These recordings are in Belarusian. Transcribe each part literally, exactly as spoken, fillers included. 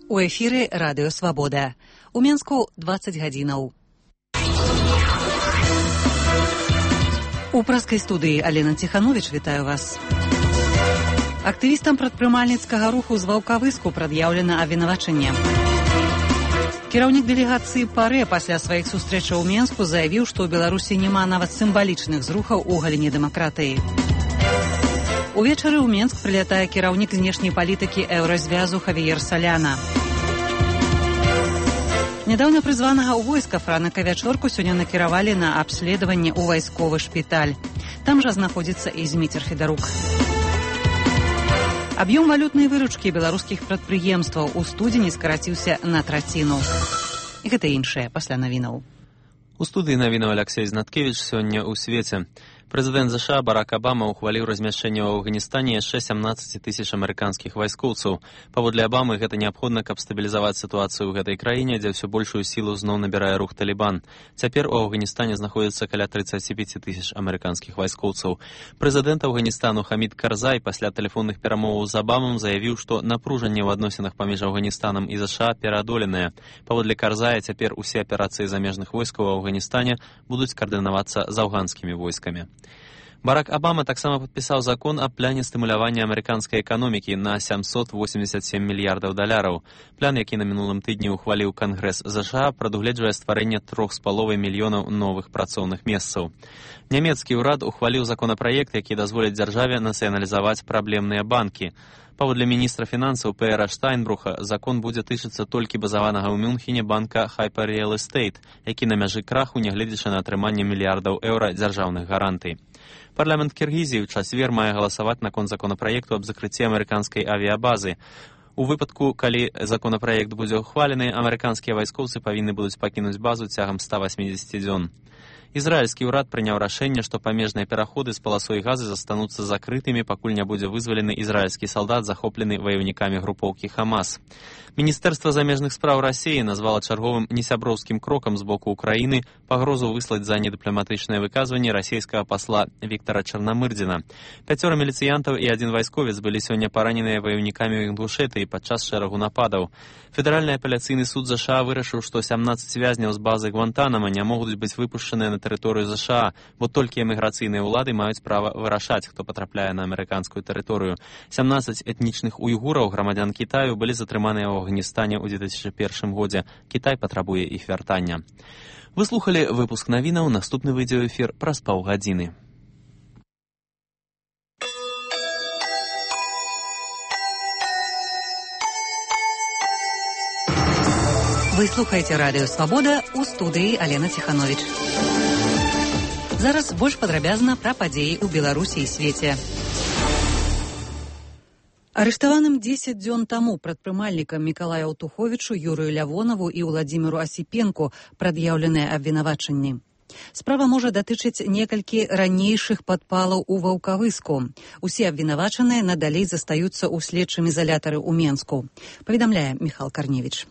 У эфіры Радыё Свабода. У Менску дваццаць гадзінаў. У праскай студыі Алена Ціхановіч, вітаю вас. Актывістам прадпрымальніцкага руху з Ваўкавыску прад'яўлена абвінавачанне. Кіраўнік дэлегацыі ПАРЭ пасля сваіх сустрэчаў у Менску заявіў, што ў Беларусі няма нават сімвалічных зрухаў у галіне дэмакратыі. Увечары ў Менск прылятае кіраўнік знешняй палітыкі еўразвязу Хавіер Саляна. Нядаўна прызванага ў войска Франака Вячорку сёння накіравалі на абследаванне ў вайсковы шпіталь. Там жа знаходзіцца і Зміцер Федарук. Аб'ём валютнай выручкі беларускіх прадпрыемстваў у студзені скараціўся на траціну. І гэта іншае пасля навінаў. У студыі навінаў Аляксей Знаткевіч сёння ў свеце. Прэзідэнт ЗША Барак Абама ухваліў размяшчэнне ў Афганістане яшчэ сямнаццаць тысяч амерыканскіх вайскоўцаў. Паводле Абамы гэта неабходна, каб стабілізаваць сітуацыю ў гэтай краіне, дзе ўсё большую сілу зноў набірае рух Талібан. Цяпер у Афганістане знаходзіцца каля трыццаць пяць тысяч амерыканскіх вайскоўцаў. Прэзідэнт Афганістану Хамід Карзай пасля тэлефонных перамоваў з Абамам заявіў, што напружанне ў адносінах паміж Афганістанам і ЗША пераадоленае. Паводле Карзая цяпер усе аперацыі замежных войскаў у Афганістане будуць каардынавацца з афганскімі войскамі. Барак Абама таксама падпісаў закон аб пляне стымулявання амерыканскай эканомікі на сямсот восемьдесят семь мільярдаў даляраў. Плян, які на мінулым тыдні ухваліў Кангрэс ЗША, прадугледжвае стварэнне трох з паловай мільёнаў новых працоўных месцаў. Нямецкі ўрад ухваліў законапраект, які дазволіць дзяржаве нацыяналізаваць праблемныя банкі. Паводле міністра фінансаў Пэра Штайнбруха, закон будзе тычыцца толькі базаванага ў Мюнхене банка Hyper Real Estate, які на мяжы краху, нягледзячы на атрыманне мільярдаў еўра дзяржаўных гарантый. Парламент Кіргізіі ў чацвер мае галасаваць наконт законапраекту аб закрыцці амерыканскай авіябазы. У выпадку, калі законапраект будзе ухвалены, амерыканскія вайскоўцы павінны будуць пакінуць базу цягам ста васьмідзесяці дзён. Ізраільскі ўрад прыняў рашэнне, што памежныя пераходы з паласой газы застануцца закрытымі, пакуль не будзе вызвалены ізраільскі салдат, захоплены ваёўнікамі групоўкі Хамас. Міністэрства замежных спраў Расіі назвала чарговым несяброўскім крокам з боку Украіны пагрозу выслаць за недыпламатычнае выказванне расійскага пасла Віктара Чарнамырдзіна. Пяцёра міліцыянтаў і адзін вайсковец былі сёння параненыя ваёўнікамі Інгушэтыі падчас шэрагу нападаў. Федэральны апеляцыйны суд ЗША вырашыў, што сямнаццаць вязняў з базы Гвантанама не могуць быць выпушчаныя на тэрыторыю ЗША, бо толькі эміграцыйныя ўлады маюць права вырашаць, хто патрапляе на амерыканскую тэрыторыю. сямнаццаць этнічных уйгураў, грамадзян Кітаю, былі затрыманыя ў Афганістане ў две тысячы першым годзе. Кітай патрабуе іх вяртання. Вы слухалі выпуск навінаў, наступны выйдзе ў эфір праз паўгадзіны. Вы слухаеце Радыё Свабода, у студыі Алена Ціхановіч. Зараз больш падрабязна пра падзеі ў Беларусі і свеце. Арыштаваным дзесяць дзён таму прадпрымальнікам Мікалаю Аўтуховічу, Юрыю Лявонаву і Ўладзіміру Асіпенку прад'яўленыя абвінавачанні. Справа можа датычыць некалькі ранейшых падпалаў у Ваўкавыску. Усе абвінавачаныя надалей застаюцца ў следчым ізалятары ў Менску. Паведамляе Міхал Карневіч.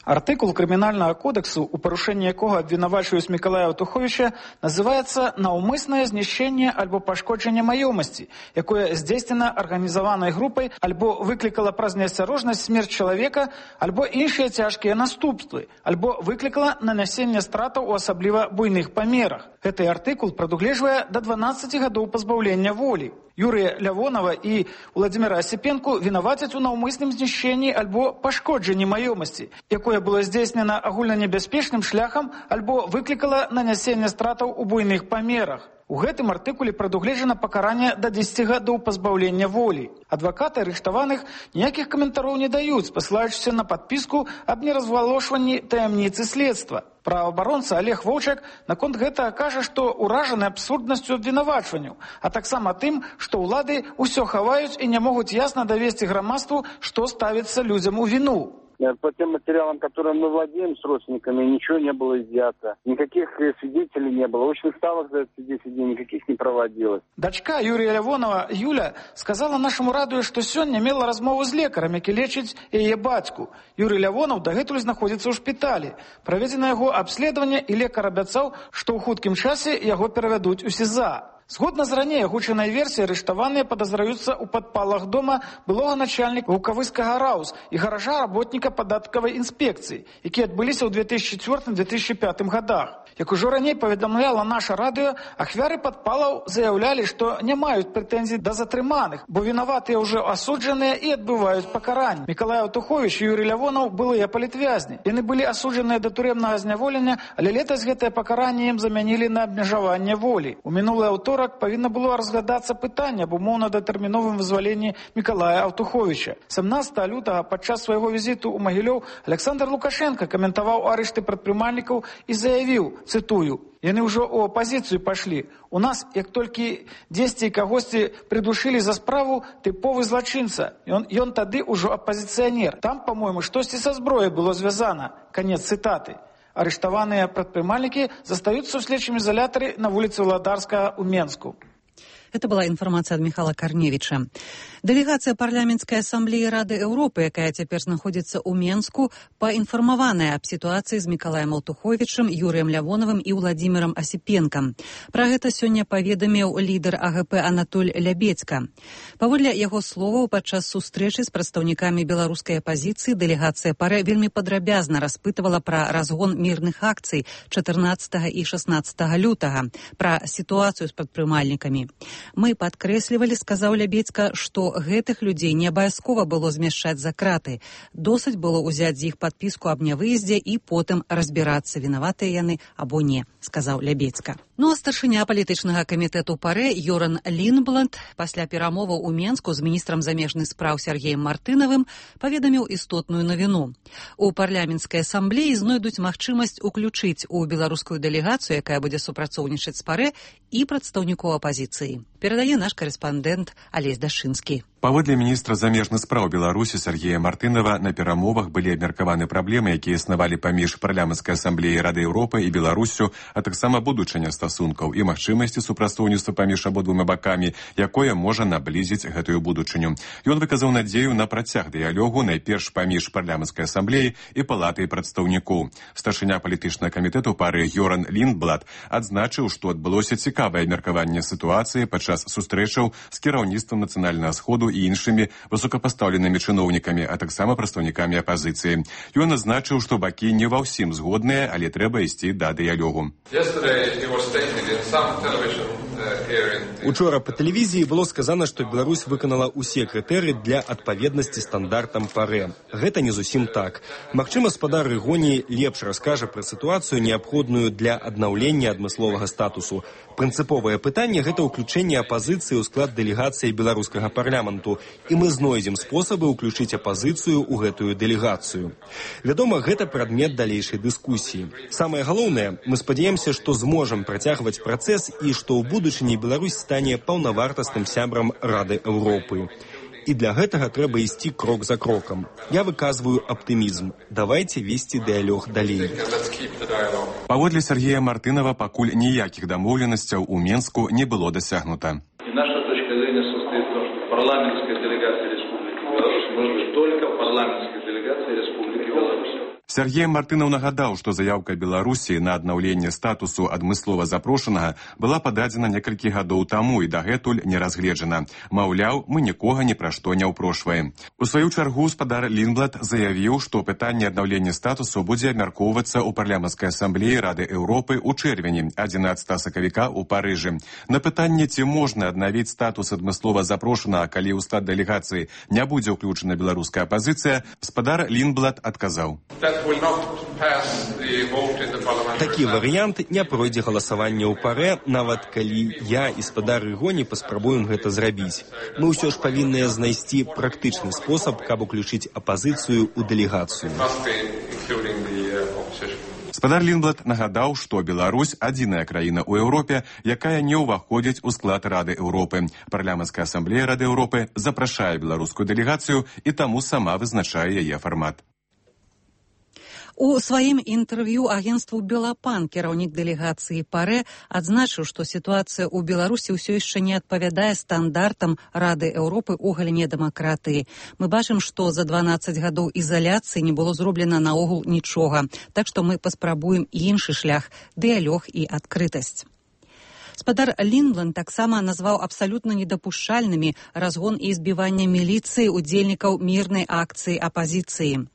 Артыкул крымінальнага кодексу, у парушэнні якога абвінавачваюць Мікалая Аўтуховіча, называецца «наўмыснае знішчэнне альбо пашкоджанне маёмасці», якое здзейснена арганізаванай групай альбо выклікала праз неасцярожнасць смерць чалавека, альбо іншыя цяжкія наступствы, альбо выклікала нанясенне стратаў у асабліва буйных памерах. Гэты артыкул прадугледжвае да дванаццаці гадоў пазбаўлення волі. Юрыя Лявонава і Ўладзіміра Асіпенку вінавацяць у наўмысным знішчэнні альбо пашкоджанні маёмасці, якое было здзейснена агульнанебяспечным шляхам альбо выклікала нанясенне стратаў у буйных памерах. У гэтым артыкуле прадугледжана пакаранне да дзесяці гадоў пазбаўлення волі. Адвакаты арыштаваных ніякіх каментароў не даюць, пасылаючыся на падпіску аб неразвалошванні таямніцы следства. Праваабаронца Олег Воўчак наконт гэтага кажа, што ўражаны абсурднасцю абвінавачванняў, а таксама тым, што ўлады ўсё хаваюць і не могуць ясна давесці грамадству, што ставіцца людзям у віну. По тем материалам, которым мы владеем с родственниками, ничего не было изъято. Никаких свидетелей не было. Очных ставок за эти десять дней никаких не проводилось. Дачка Юрия Лявонова, Юля, сказала нашему радио, что сёння мела размову з лекарам, які лечыць яе бацьку. Юрий Лявонов дагэтуль знаходзіцца ў шпіталі. Праведзена яго абследаванне, і лекар абяцаў, што ў хуткім часе яго перавядуць у СІЗА. Згодна з раней агучанай версіяй, арыштаваныя падазраюцца ў падпалах дома былога начальніка Ваўкавыскага РАУС і гаража работніка падаткавай інспекцыі, якія адбыліся ў две тысячи четвёртым — две тысячи пятым годах. Як ужо раней паведамляла наша радыё, ахвяры падпалаў заяўлялі, што не маюць прэтэнзій да затрыманых, бо вінаватыя ўжо асуджаныя і адбываюць пакаранне. Мікалай Аўтуховіч і Юрый Лявонаў былыя палітвязні. Яны былі асуджаныя да турэмнага зняволення, але летась гэтае пакаранне ім замянілі на абмежаванне волі. У мінулы аўторак павінна было разглядацца пытанне аб умоўна-датэрміновым вызваленні Мікалая Аўтуховіча. сямнадцатага лютага падчас свайго візіту ў Магілёў Александр Лукашенко каментаваў арышты прадпрымальнікаў і заявіў, цытую: «Яны ўжо ў апазіцыю пашлі. У нас, як толькі дзесьці і кагосьці прыдушылі за справу, тыповы злачынца. Ён, ён тады ўжо апазіцыянер. Там, па-мойму, штосьці са зброяй было звязана». Канец цытаты. Арыштаваныя прадпрымальнікі застаюцца ў следчым изолятары на вуліцы Владарскага ў Менску. Это была информация от Михаила Корневича. Делегация парламентской ассамблеи Рады Европы, якая теперь находится у Менску, поинформованная об ситуации с Миколаем Алтуховичем, Юрием Лявоновым и Владимиром Осипенко. Про это сегодня поведомил лидер АГП Анатоль Лябедька. Паводле яго словаў, падчас сустрэчы з прадстаўнікамі беларускай апозіцыі дэлегацыя ПАРЭ вельмі падрабязна распытывала пра разгон мірных акцый чатырнаццатага і шаснаццатага лютага, пра сітуацыю з прадпрымальнікамі. Мы падкрэслівалі, сказаў Лябедька, што гэтых людзей не абавязкова было змяшчаць за краты. Досыць было ўзяць з іх падпіску аб нявыездзе і потым разбірацца, вінаватыя яны або не, сказаў Лябедька. Ну а старшыня палітычнага камітэту ПАРЭ Йоран Лінбланд пасля перамоваў у Менску з міністрам замежных спраў Сергеем Мартынавым паведаміў істотную навіну. У парламенцкай асамблеі знойдуць магчымасць уключыць у беларускую дэлегацыю, якая будзе супрацоўнічаць з ПАРЭ, і прадстаўнікоў апазіцыі. Перадае наш карэспандэнт Алесь Дашынскі. Паводле міністра замежных спраў Беларусі Сергея Мартынава, на перамовах былі абмеркаваны праблемы, якія існавалі паміж парламенцкай асамблеяй Рады Еўропы і Беларуссю, а таксама будучыня стасункаў і магчымасці супрацоўніцтва паміж абодвума бакамі, якое можа наблізіць гэтую будучыню. Ён выказаў надзею на працяг дыялогу найперш паміж парламенцкай асамблеяй і палатай прадстаўнікоў. Старшыня палітычнага камітэту ПАРЭ Йоран Лінбланд адзначыў, што адбылося цікавае абмеркаванне сітуацыі падчас сустрэчаў з кіраўніцтвам нацыянальнага сходу і іншымі высокапастаўленымі чыноўнікамі, а таксама прадстаўнікамі апазіцыі. Ён адзначыў, што бакі не ва ўсім згодныя, але трэба ісці да дыялогу. Учора па тэлевізіі было сказана, што Беларусь выканала ўсе крытэрыі для адпаведнасці стандартам ПАРЭ. Гэта не зусім так. Магчыма, спадар Рыгоні лепш раскажа пра сітуацыю, неабходную для аднаўлення адмысловага статусу. Прынцыповае пытанне – гэта ўключэнне апазіцыі ў склад дэлегацыі беларускага парламенту, і мы знойдзем спосабы ўключыць апазіцыю ў гэтую дэлегацыю. Вядома, гэта прадмет далейшай дыскусіі. Самае галоўнае, мы спадзяемся, што зможам працягваць працэс і што ў будучыні Беларусь стане паўнавартасным сябрам Рады Еўропы. І для гэтага трэба ісці крок за крокам. Я выказваю аптымізм. Давайце весці дыялог далей. Паводле Сергея Мартынава, пакуль ніякіх дамоўленасцяў у Менску не было дасягнута. Наша точка зрения состоит в том, что парламентская делегация Республики Беларусь может быть только парламентской делегацией Республики Беларусь. Сергей Мартынаў нагадаў, што заяўка Беларусі на аднаўленне статусу адмыслова запрошанага была пададзена некалькі гадоў таму і дагэтуль не разгледжана. Маўляў, мы нікога ні пра што не ўпрошваем. У сваю чаргу спадар Лінбланд заявіў, што пытанне аднаўлення статусу будзе абмяркоўвацца ў парламенцкай асамблеі Рады Еўропы ў чэрвені адзінаццатага сакавіка ў Парыжы. На пытанне, ці можна аднавіць статус адмыслова запрошанага, калі ў склад дэлегацыі не будзе ўключана беларуская апазіцыя, спадар Лінбланд адказаў. Такі варыянт не пройдзе галасаванне ў ПАРЭ, нават калі я і спадар Рыгоні паспрабуем гэта зрабіць. Мы ўсё ж павінныя знайсці практычны спосаб, каб уключыць апазіцыю ў дэлегацыю. Спадар Лінбланд нагадаў, што Беларусь адзіная краіна ў Еўропе, якая не ўваходзіць у склад Рады Еўропы. Парламенцкая асамблея Рады Еўропы запрашае беларускую дэлегацыю і таму сама вызначае яе фармат. У сваім інтэрв'ю агенству «Белапан» кіраўнік дэлегацыі ПАРЭ адзначыў, што сітуацыя ў Беларусі ўсё яшчэ не адпавядае стандартам Рады Еўропы ў галіне дэмакратыі. Мы бачым, што за дванаццаць гадоў ізаляцыі не было зроблена наогул нічога. Так што мы паспрабуем іншы шлях – дыялог і адкрытасць. Спадар Лінбланд таксама назваў абсалютна недапушчальнымі разгон і збіванне міліцыі удзельнікаў мірнай акцыі апазіцыі.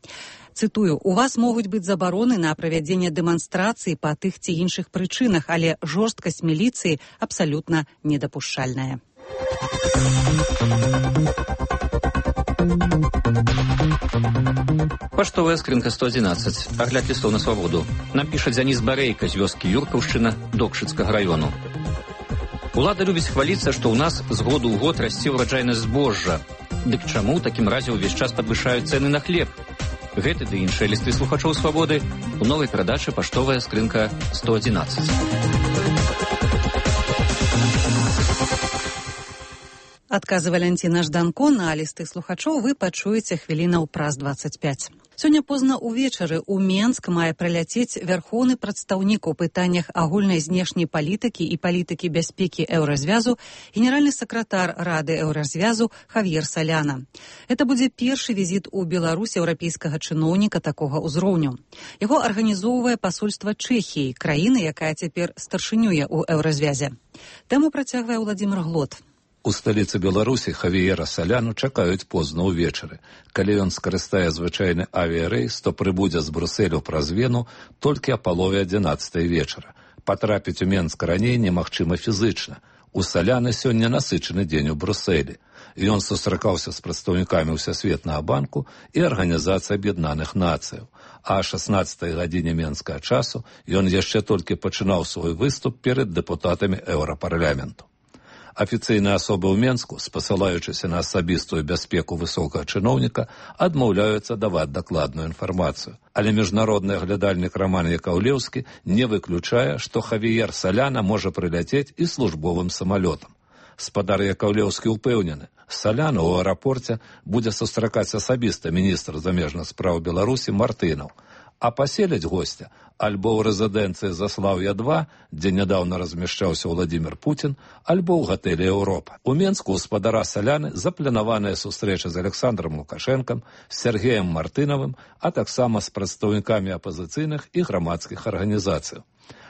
Цытую, у вас могуць быць забароны на правядзенне дэманстрацыі па тых ці іншых прычынах, але жорсткасць міліцыі абсалютна недапушчальная. Паштовая скрынка сто адзінаццаць. Агляд лістоў на свабоду. Нам піша Дзяніс Барейка з вёскі Юркаўшчына Докшыцкага раёну. Улада любіць хваліцца, што ў нас з году ў год расце ўраджайнасць збожжа. Дык чаму ў такім разе ўвесь час падвышаюць цэны на хлеб? Гэты ды іншыя лісты слухачоў свабоды у новай перадачы паштовая скрынка сто адзінаццаць. Адказы Валянціна Жданко на лісты слухачоў вы пачуеце хвілінаў праз дваццаць пяць. Сёння позна ўвечары ў Менск мае прыляцець вярхоўны прадстаўнік у пытаннях агульнай знешняй палітыкі і палітыкі бяспекі Еўразвязу, генеральны сакратар Рады Еўразвязу Хавьер Соляна. Гэта будзе першы візіт у Беларусь еўрапейскага чыноўніка такога ўзроўню. Яго арганізоўвае пасольства Чэхіі, краіны, якая цяпер старшынюе ў Еўразвязе. Тэму працягвае Владзімир Глот. У сталіцы Беларусі Хавіера Соляну чакаюць позна ўвечары. Калі ён скарыстае звычайны авіярэйс, то прыбудзе з Брусэлю праз Вену толькі а палове адзінаццатай вечара. Патрапіць у Менск раней немагчыма фізычна. У Соляны сёння насычаны дзень у Брусэлі. Ён сустракаўся з прадстаўнікамі Ўсясветнага банку і Арганізацыі Аб'яднаных Нацыяў. А о шаснаццатай гадзіне менскага часу ён яшчэ толькі пачынаў свой выступ перад дэпутатамі Еўрапарламенту. Афіцыйныя асобы ў Менску, спасылаючыся на асабістую бяспеку высокага чыноўніка, адмаўляюцца даваць дакладную інфармацыю. Але міжнародны аглядальнік Роман Якаўлеўскі не выключае, што Хавіер Соляна можа прыляцець і службовым самалётам. Спадар Якаўлеўскі ўпэўнены, Соляна ў аэрапорце будзе сустракаць асабіста міністр замежных спраў Беларусі Мартынаў, а паселяць госця альбо ў рэзідэнцыі Заслаў'я два, дзе нядаўна размяшчаўся Владзімир Путін, альбо ў гатэлі Еўропа. У Менску у спадара Соляны запланаваная сустрэча з Александром Лукашэнкам, з Сергеем Мартынавым, а таксама з прадстаўнікамі апазіцыйных і грамадскіх арганізацый.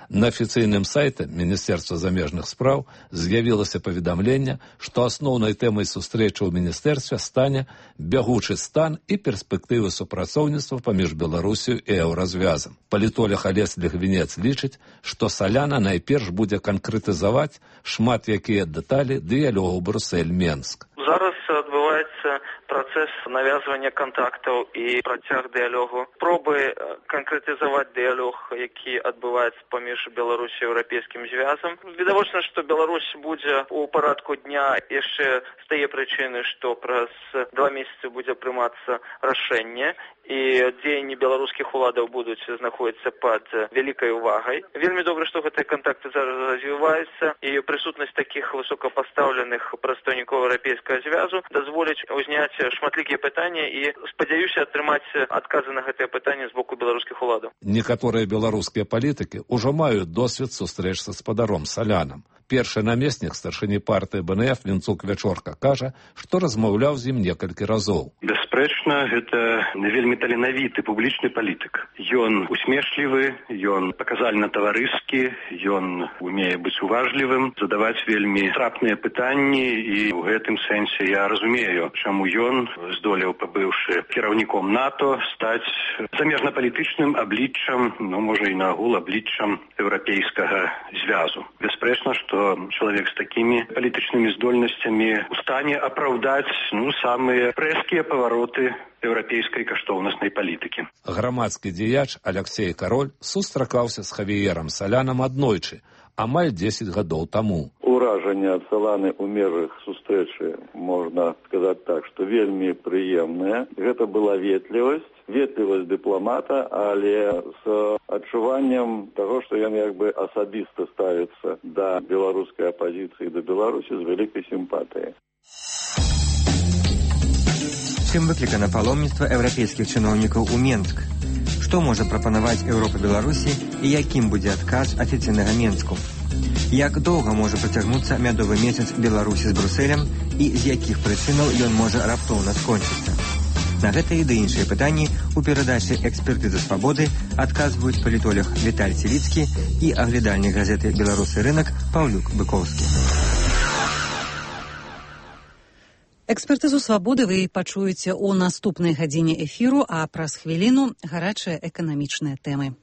На афіцыйным сайце Міністэрства замежных спраў з'явілася паведамленне, што асноўнай тэмай сустрэчы ў міністэрстве стане бягучы стан і перспектывы супрацоўніцтва паміж Беларусію і Еўразвязам. Палітолог Алесь Лігвінец лічыць, што Соляна найперш будзе канкрэтызаваць шмат якія дэталі дыялогу Брусэль-Менск. Зараз адбываецца працэс навязвання кантактаў і працяг дыялогу. Пробы канкрэтызаваць дыялог, які адбываецца паміж Беларусі і Еўрапейскім звязам. Відавочна, што Беларусь будзе ў парадку дня яшчэ з тае прычыны, што праз два месяцы будзе прымацца рашэнне, і дзеянні беларускіх уладаў будуць знаходзіцца пад вялікай увагай. Вельмі добра, што гэтыя кантакты зараз развіваюцца, і прысутнасць такіх высокапастаўленых прадстаўнікоў Еўрапейскага звязу дазволіць узняць шматлікія пытанні і спадзяюся атрымаць адказы на гэтыя пытанні з боку беларускіх уладаў. Некаторыя беларускія палітыкі ўжо маюць досвед сустрэч са спадаром Солянам. Першы намеснік старшыні партыі бэ эн эф Вінцук Вячорка кажа, што размаўляў з ім некалькі разоў. Бясспрэчна, гэта вельмі таленавіты публічны палітык. Ён усмешлівы, ён паказальна таварыскі, ён умее быць уважлівым, задаваць вельмі трапныя пытанні, і ў гэтым сэнсе я разумею, чаму ён здолеў, пабыўшы кіраўніком НАТО, стаць замежнапалітычным абліччам, ну, можа і наагул абліччам Еўрапейскага звязу. Бясспрэчна, што чалавек з такімі палітычнымі здольнасцямі у стане апраўдаць ну, самыя прэзкія павароты еўрапейскай каштоўнаснай палітыкі. Грамадскі дзеяч Алексей Кароль сустракаўся з Хавіерам Солянам аднойчы, амаль дзесяць гадоў таму. Уражанне ад Соланы ў межах сустрэчы, можна сказаць так, што вельмі прыемнае. Гэта была ветлівасць, ветлівасць дыпламата, але з адчуваннем таго, што ён як бы асабіста ставіцца да беларускай апазіцыі, да Беларусі з вялікай сімпатыяй. Чым выклікана паломніцтва еўрапейскіх чыноўнікаў у Менск? Што можа прапанаваць Еўропа Беларусі і якім будзе адказ афіцыйнага Менску? Як доўга можа працягнуцца мядовы месяц Беларусі з Брусэлем і з якіх прычынаў ён можа раптоўна скончыцца? На гэтыя ды іншыя пытанні у перадачы «Экспертыза свабоды» адказваюць палітолог Віталь Селіцкі і аглядальнік газеты «Беларусы рынак» Паўлюк Быкоўскі. Экспертызу свабоды вы пачуеце ў наступнай гадзіне эфіру, а праз хвіліну гарачыя эканамічныя тэмы.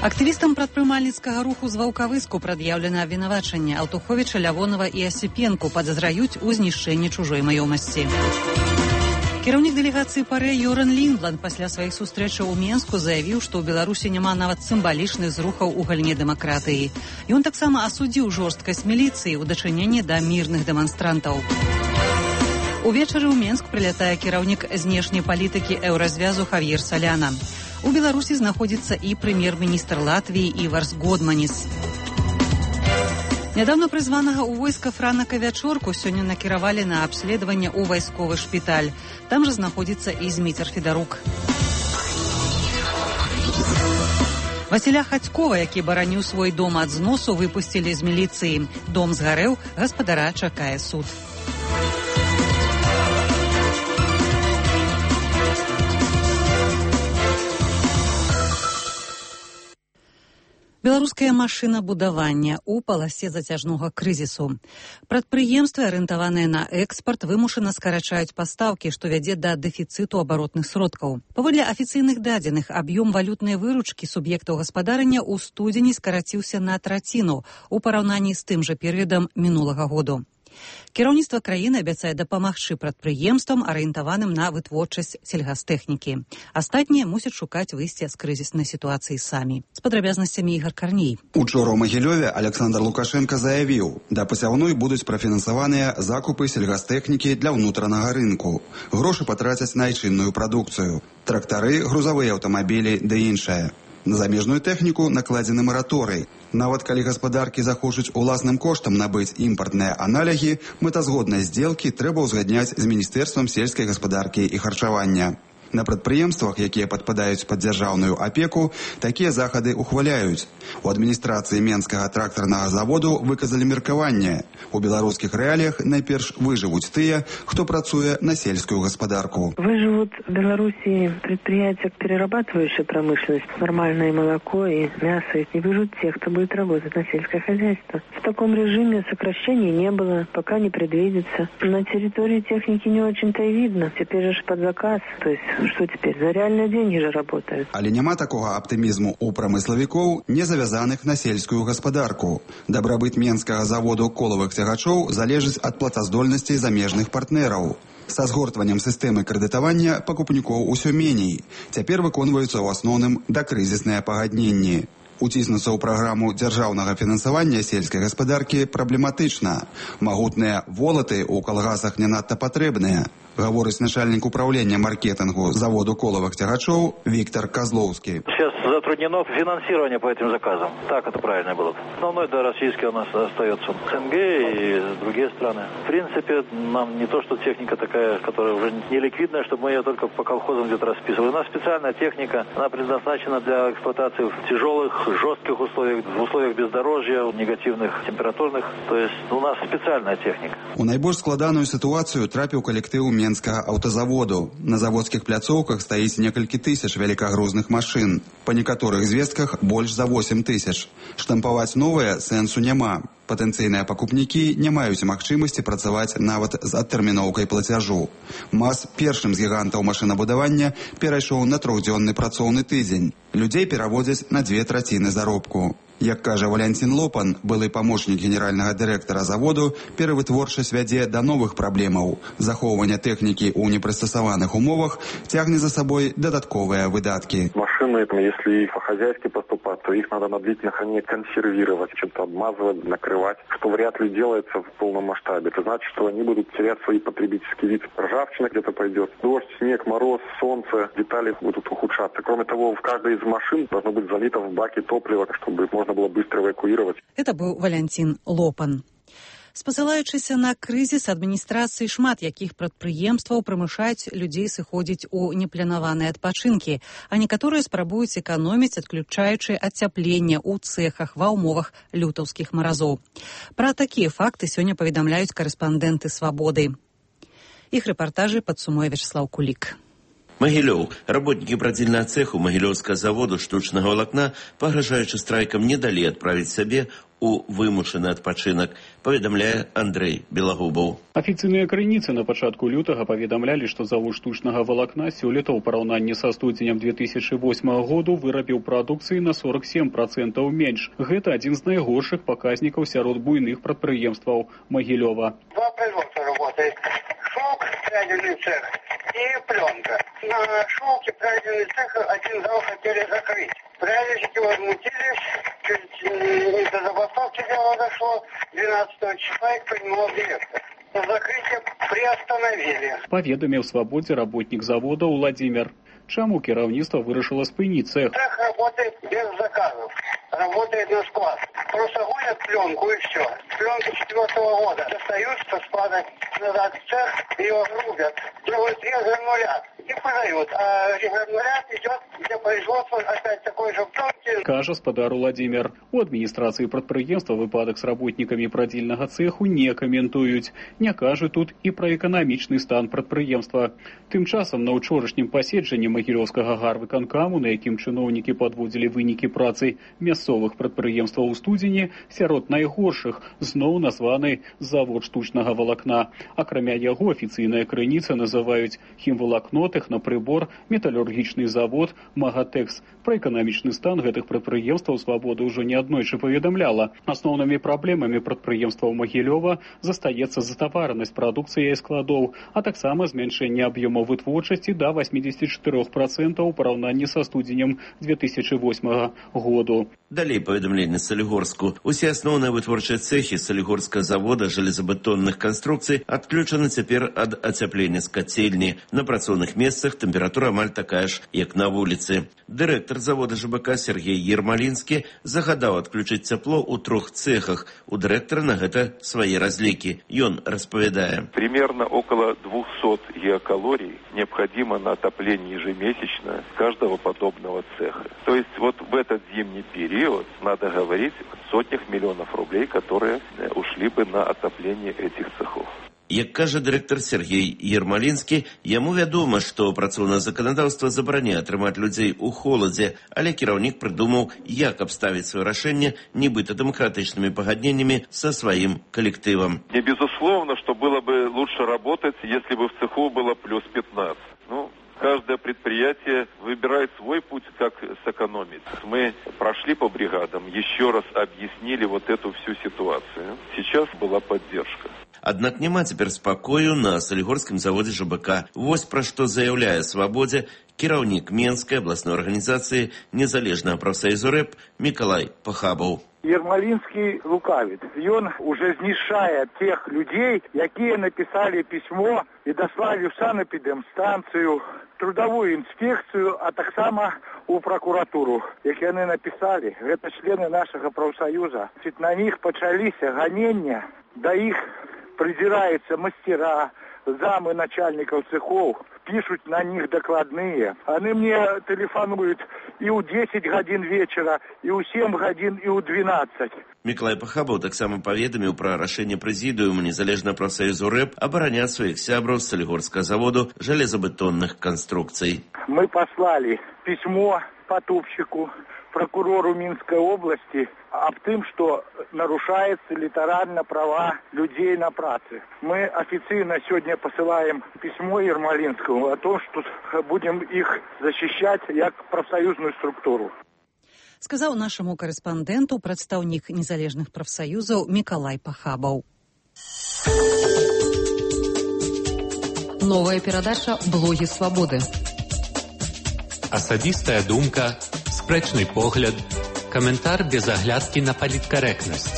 Актывістам прадпрымальніцкага руху з Ваўкавыску прад'яўлена абвінавачанне. Алтуховіча, Лявонова і Асіпенку падазраюць у знішчэнні чужой маёмасці. Кіраўнік дэлегацыі ПАРЭ Йоран Ліндланд пасля сваіх сустрэчаў у Менску заявіў, што ў Беларусі няма нават сімвалічных зрухаў у галіне дэмакратыі. Ён таксама асудзіў жорсткасць міліцыі ў дачыненні да мірных дэманстрантаў. Увечары ў Менск прылятае кіраўнік знешняй палітыкі еўразвязу Хавьер Соляна. У Беларусі знаходзіцца і прэм'ер-міністр Латвіі Іварс Годманіс. Нядаўна прызванага ў войска Франака Вячорку сёння накіравалі на абследаванне ў вайсковы шпіталь. Там жа знаходзіцца і Зміцер Федарук. Васіля Хацькова, які бараніў свой дом ад зносу, выпусцілі з міліцыі. Дом згарэў, гаспадара чакае суд. Беларускае машынабудаванне ў паласе зацяжнога крызісу. Прадпрыемствы, арыентаваныя на экспарт, вымушана скарачаюць пастаўкі, што вядзе да дэфіцыту абаротных сродкаў. Паводле афіцыйных дадзеных, аб'ём валютнай выручкі суб'ектаў гаспадарання ў студзені скараціўся на траціну у параўнанні з тым жа перыядам мінулага году. Кіраўніцтва краіны абяцае дапамагчы прадпрыемствам, арыентаваным на вытворчасць сельгастэхнікі. Астатнія мусяць шукаць выйсце з крызіснай сітуацыі самі. З падрабязнасцямі Ігар Карней. Учора ў Магілёве Александр Лукашенко заявіў, да пасяўной будуць прафінансаваныя закупы сельгастэхнікі для ўнутранага рынку. Грошы патрацяць на айчынную прадукцыю. Трактары, грузавыя аўтамабілі ды іншае. На замежную тэхніку накладзены мараторый. Нават калі гаспадаркі захочуць уласным коштам набыць імпартныя аналогі, мэтазгоднай здзелкі трэба ўзгадняць з Міністэрствам сельскай гаспадаркі і харчавання. На прадпрыемствах, якія падпадаюць пад дзяржаўную апеку, такія захады ухваляюць. У адміністрацыі Менскага трактарнага заводу выказалі меркаванне. У беларускіх рэаліях найперш выжывуць тыя, хто працуе на сельскую гаспадарку. Выживут в Беларуси предприятия перерабатывающей промышленности, нормальное молоко и мясо. Не выживут те, кто будет работать на сельское хозяйство. В таком режиме сокращений не было, пока не предвидится. На территории техники не очень-то и видно. Теперь же под заказ, то есть что теперь? За реальные деньги же работают. Але няма такога аптымізму у прамыславікоў, не завязаных на сельскую гаспадарку. Дабрабыт Менскага заводу колавых цягачоў залежыць ад плацаздольнасцей замежных партнераў. Са згортваннем сістэмы крэдытавання пакупнікоў усё меней. Цяпер выконваюцца ў асноўным дакрызісныя пагадненні. Уціснуцца ў праграму дзяржаўнага фінансавання сельскай гаспадаркі праблематычна. Магутныя волаты ў калгасах не надта патрэбныя. Гаворыць начальник управления маркетингу заводу коловых тягачов Виктор Козловский. Сейчас затруднено финансирование по этим заказам. Так это правильно было. Основной, да, российский у нас остается СНГ и другие страны. В принципе, нам не то, что техника такая, которая уже не ликвидная, чтобы мы ее только по колхозам где-то расписывали. У нас специальная техника, она предназначена для эксплуатации в тяжелых, жестких условиях, в условиях бездорожья, негативных температурных. То есть у нас специальная техника. У найбольш складаную ситуацию трапіў калектыў Менскага аўтазаводу. На заводскіх пляцоўках стаіць некалькі тысяч вялікагрузных машын. Па некаторых звестках больш за восемь тысяч. Штампаваць новыя сэнсу няма. Патэнцыйныя пакупнікі не маюць магчымасці працаваць нават з адтэрміноўкай плацяжу. МАЗ першым з гігантаў машынабудавання перайшоў на трохдзённы працоўны тыдзень. Людзей пераводзяць на дзве траціны заробку. Як кажа Валянцін Лопан, былы памочнік генеральнага дырэктара заводу, перавытворчасць вядзе да новых праблемаў. Захоўванне тэхнікі ў непрыстасаваных умовах цягне за сабой дадатковыя выдаткі. Машины, если по-хозяйски поступать, то их надо на длительное хранение консервировать, чем-то обмазывать, накрывать, что вряд ли делается в полном масштабе. Это значит, что они будут терять свои потребительские вид. Ржавчина где-то пойдет. Дождь, снег, мороз, солнце, детали будут ухудшаться. Кроме того, в каждой из машин должно быть залито в баке топливо, чтобы можно было быстро эвакуировать. Это был Валянцін Лопан. Спасылаючыся на крызіс адміністрацыі шмат якіх прадпрыемстваў прымушаюць людзей сыходзіць у непланаваныя адпачынкі, а некаторыя спрабуюць эканоміць, адключаючы ацяпленне ў цэхах ва ўмовах лютаўскіх маразоў. Пра такія факты сёння паведамляюць карэспандэнты «Свабоды». Іх рэпартажы падсумуе Вячеслав Кулик. Магілёў. Работнікі прадзільнага цэху магілёўскага заводу штучнага валакна, пагражаючы страйкам, не далі адправіць сябе у вымушаны адпачынак, паведамляе Андрэй Белагубаў. Афіцыйныя крыніцы на пачатку лютага паведамлялі, што завод штучнага валакна сёлета ў параўнанні са студзенем две тысячы восьмага году вырабіў прадукцыі на сорок сем працэнтаў менш. Гэта адзін з найгоршых паказнікаў сярод буйных прадпрыемстваў Магілёва. Два производства работает. Шелк, прядельный цех и пленка. На шелке прядельный цех один зал хотели закрыть. Прядельщики возмутились, чуть не до забастовки дело дошло. двенадцатого числа их принимал директор. Закрытие приостановили. Паведаміў «Свабодзе» работнік завода Владимир. Чаму кіраўніцтва вырашыла спыніць цех? Цех работает без заказов. Работает на склад. Просто гонят пленку и все. Пленка четвертого года. Достают со склада назад в цех, ее рубят. Делают резгранулят и продают. А резгранулят идет для производства опять такой же пленки. Кажа спадар Владимир. У адміністрацыі прадпрыемства выпадак з работнікамі прадзільнага цэху не каментуюць. Не кажуць тут і пра эканамічны стан прадпрыемства. Тым часам на ўчорашнім паседжанні Магілёўскага гарвыканкаму, на якім чыноўнікі падводзілі вынікі працы мясцовых прадпрыемстваў у студзені, сярод найгоршых зноў названы завод штучнага валакна. Акрамя яго афіцыйная крыніца называюць хімвалакно, тэхнапрыбор, металургічны завод, Магатэкс. Пра эканамічны стан гэтых прадпрыемстваў «Свабода» ўжо неаднойчы паведамляла. Асноўнымі праблемамі прадпрыемстваў Магілёва застаецца затаваранасць прадукцыі і складоў, а таксама змяншэнне аб'ёмаў вытворчасці да восьмидесяти четырёх процентов у параўнанні са студзенем две тысячи восьмага году. Далей паведамленне Салігорску. Усе асноўныя вытворчыя цэхі Салігорскага завода жалезабетонных канструкцый адключаны цяпер ад ацяплення з кацельні. На працоўных месцах тэмпература амаль такая ж, як на вуліцы. Дырэктар завода ЖБК Сергей Ермалінскі загадаў адключыць цяпло ў трох цэхах. У дырэктара на гэта свае разлікі. Ён распавядае. Примерно около двухсот гигакалорий необходимо на отопление ежемесячно каждого подобного цеха. То есть вот в этот зимний период надо говорить о сотнях миллионов рублей, которые ушли бы на отопление этих цехов. Як кажа дырэктар Сергей Ермалінскі, яму вядома, што працоўнае заканадаўства забараняе трымаць людзей у холадзе, але кіраўнік прыдумаў, як абставіць сваё рашэнне нібыта дэмакратычнымі пагадненнямі са сваім калектывам. Не безусловно, что было бы лучше работать, если бы в цеху было плюс пятнадцать. Ну, каждое предприятие выбирает свой путь, как сэкономить. Мы прошли по бригадам, еще раз объяснили вот эту всю ситуацию. Сейчас была поддержка. Аднак няма цяпер спакою на Салігорскім заводзе ЖБК. Вось пра што заяўляе «Свабодзе» кіраўнік Менскай абласной арганізацыі незалежнага прафсаюзу рэп Мікалай Пахабаў. Ермалінскі лукавіць. Ён уже знішчае тех людей, якія написали письмо и дослали в санэпідэмстанцыю, трудовую инспекцию, а таксама у прокуратуру. Як яны написали, гэта члены нашага прафсаюза. На них пачаліся ганення, да іх придираются мастера, замы начальников цехов, пишут на них докладные. Они мне телефонуют и у десяти гадзін вечера, и у семи гадзін, и у двенадцати. Мікалай Пахабаў таксама паведаміў пра рашэнне прэзідыума незалежнага прафсаюзу рэп абараняць сваіх сябраў з Салігорскага заводу жалезабетонных канструкцый. Мы послали письмо потупщику, прокурору Минской области об том, что нарушаются литерально права людей на праце. Мы официально сегодня посылаем письмо Ермалинскому о том, что будем их защищать как профсоюзную структуру. Сказаў нашаму карэспандэнту прадстаўнік незалежных прафсаюзаў Мікалай Пахабаў. Новая перадача «Блогі свабоды». Асабістая думка, спрэчны погляд, каментар без аглядкі на паліткарэктнасць.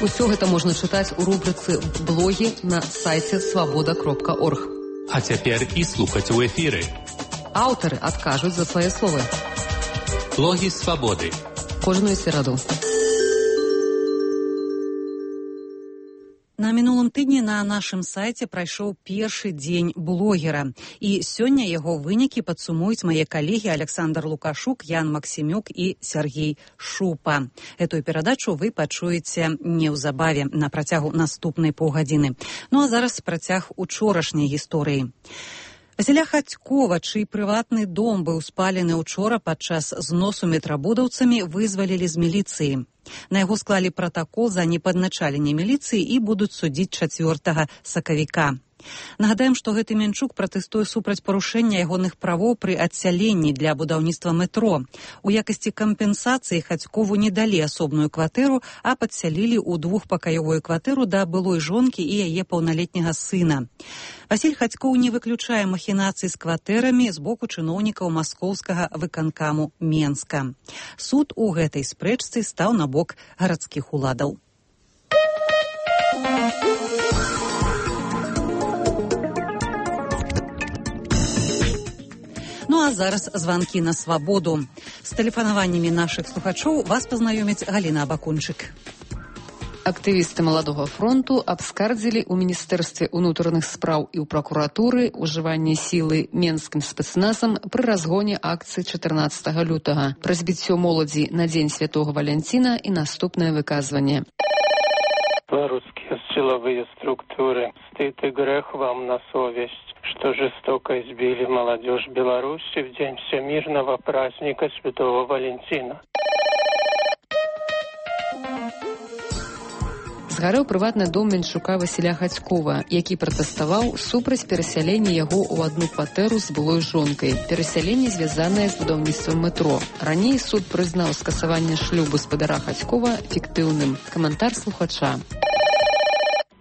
Усё гэта можна чытаць у рубрыцы «Блогі» на сайце свабода кропка орг. А цяпер і слухаць у эфіры. Аўтары адкажуць за свае словы. Блогі свабоды. Кожную сераду. На мінулым тыдні на нашым сайце прайшоў першы дзень блогера. І сёння яго вынікі падсумуюць мае калегі Александр Лукашук, Ян Максімюк і Сергей Шупа. Этую перадачу вы пачуеце неўзабаве на працягу наступнай паўгадзіны. Ну а зараз працяг учорашняй гісторыі. Васіля Хацькова, чый прыватны дом быў спалены учора падчас зносу метрабудаўцамі, вызвалілі з міліцыі. На яго склалі пратакол за непадначаленне міліцыі і будуць судзіць чацвёртага сакавіка. Нагадаем, што гэты Менчук пратэстуе супраць парушэння ягоных правоў пры адсяленні для будаўніцтва метро. У якасці кампенсацыі Хацькову не далі асобную кватэру, а падсялілі ў двухпакаёвую кватэру да былой жонкі і яе паўналетняга сына. Васіль Хацькоў не выключае махінацый з кватэрамі з боку чыноўнікаў маскоўскага выканкаму Менска. Суд у гэтай спрэчцы стаў на бок гарадскіх уладаў. Ну а зараз званкі на свабоду. З тэлефанаваннямі нашых слухачоў вас пазнаёміць Галіна Абакунчык. Актывісты Маладога фронту абскардзілі ў Міністэрстве ўнутраных спраў і ў пракуратуры ўжыванне сілы менскім спецназам пры разгоне акцыі чатырнаццатага лютага, пра збіццё моладзі на дзень святого Валянціна і наступнае выказванне. Белорусские силовые структуры, стыд и грех вам на совесть, что жестоко избили молодежь Беларуси в день всемирного праздника Святого Валентина. Згарэў прыватны дом Менчука Васіля Хацькова, які пратэставаў супраць перасялення яго ў адну кватэру з былой жонкай. Перасяленне звязанае з будаўніцтвам метро. Раней суд прызнаў скасаванне шлюбу спадара Хацькова фіктыўным. Каментар слухача.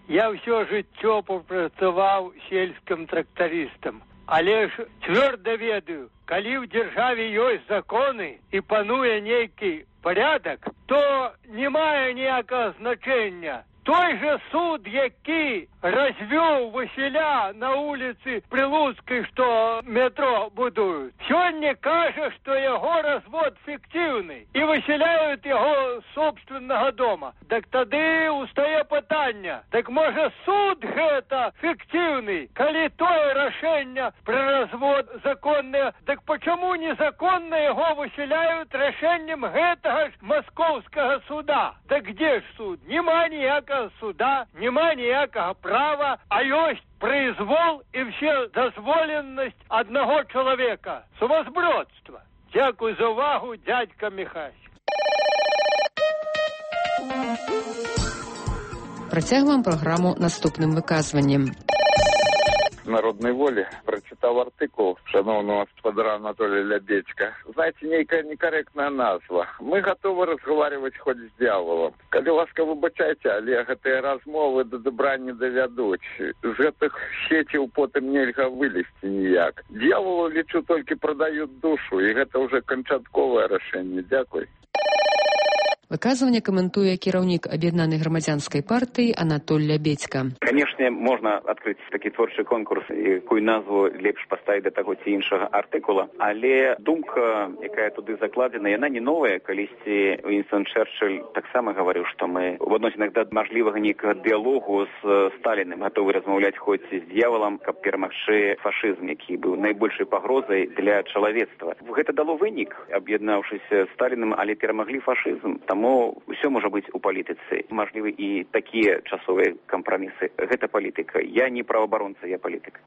Я ўсё жыццё папрацаваў сельскім трактарыстам, але ж цвёрда ведаю, калі ў дзяржаве ёсць законы і пануе нейкі порядок, то не мае ніякага значэння. Той же суд, які развёў Васіля на улицы Прилуцкай, што метро будуюць, сёння кажа, што яго развод фіктыўны і высяляюць яго з собственнага дома. Так тады устае пытанне, так можа суд гэта фіктыўны, калі тое рашэнне пра развод законнае, так пачаму незаконна яго высяляюць рашэннем гэтага ж маскоўскага суда? Так где ж суд? Нема ніякага суда, нема ніякага права, а ёсць произвол і все дазволенасць аднаго чалавека. Сумасбродства. Дзякуй за увагу, дядька Міхась. Працягваем праграму наступным выказваннем. Народной воли прочитал артикул шановного господара Анатолия Лябедька. Знаете, некая некорректная назва. Мы готовы разговаривать хоть с дьяволом. Коли ласка выбачайте, але гэтыя размовы до добра не довядуць. З гэтых сетей потым нельга вылезти ніяк. Дьяволу, лечу, только продают душу, и это уже канчатковае рашэнне. Дякуй. Выказванне каментуе кіраўнік аб'яднанай грамадзянскай партыі Анатоль Лябедька. Канешне, можна адкрыць такі творчы конкурс, якую назву лепш паставіць да таго ці іншага артыкула, але думка, якая туды закладзена, яна не новая. Калісьці Уінстон Чэрчыль таксама гаварыў, што мы в адносінах да мажлівага нейкага дыялогу з Сталіным гатовы размаўляць хоць з д'яволам, каб перамагчы фашызм, які быў найбольшай пагрозай для чалавецтва. Гэта дало вынік, аб'яднаўшыся з Сталіным, але перамаглі фашызм. Таму ўсё можа быць у палітыцы. Мажлівы і такія часовыя кампрамісы. Гэта палітыка. Я не праваабаронца, я палітык.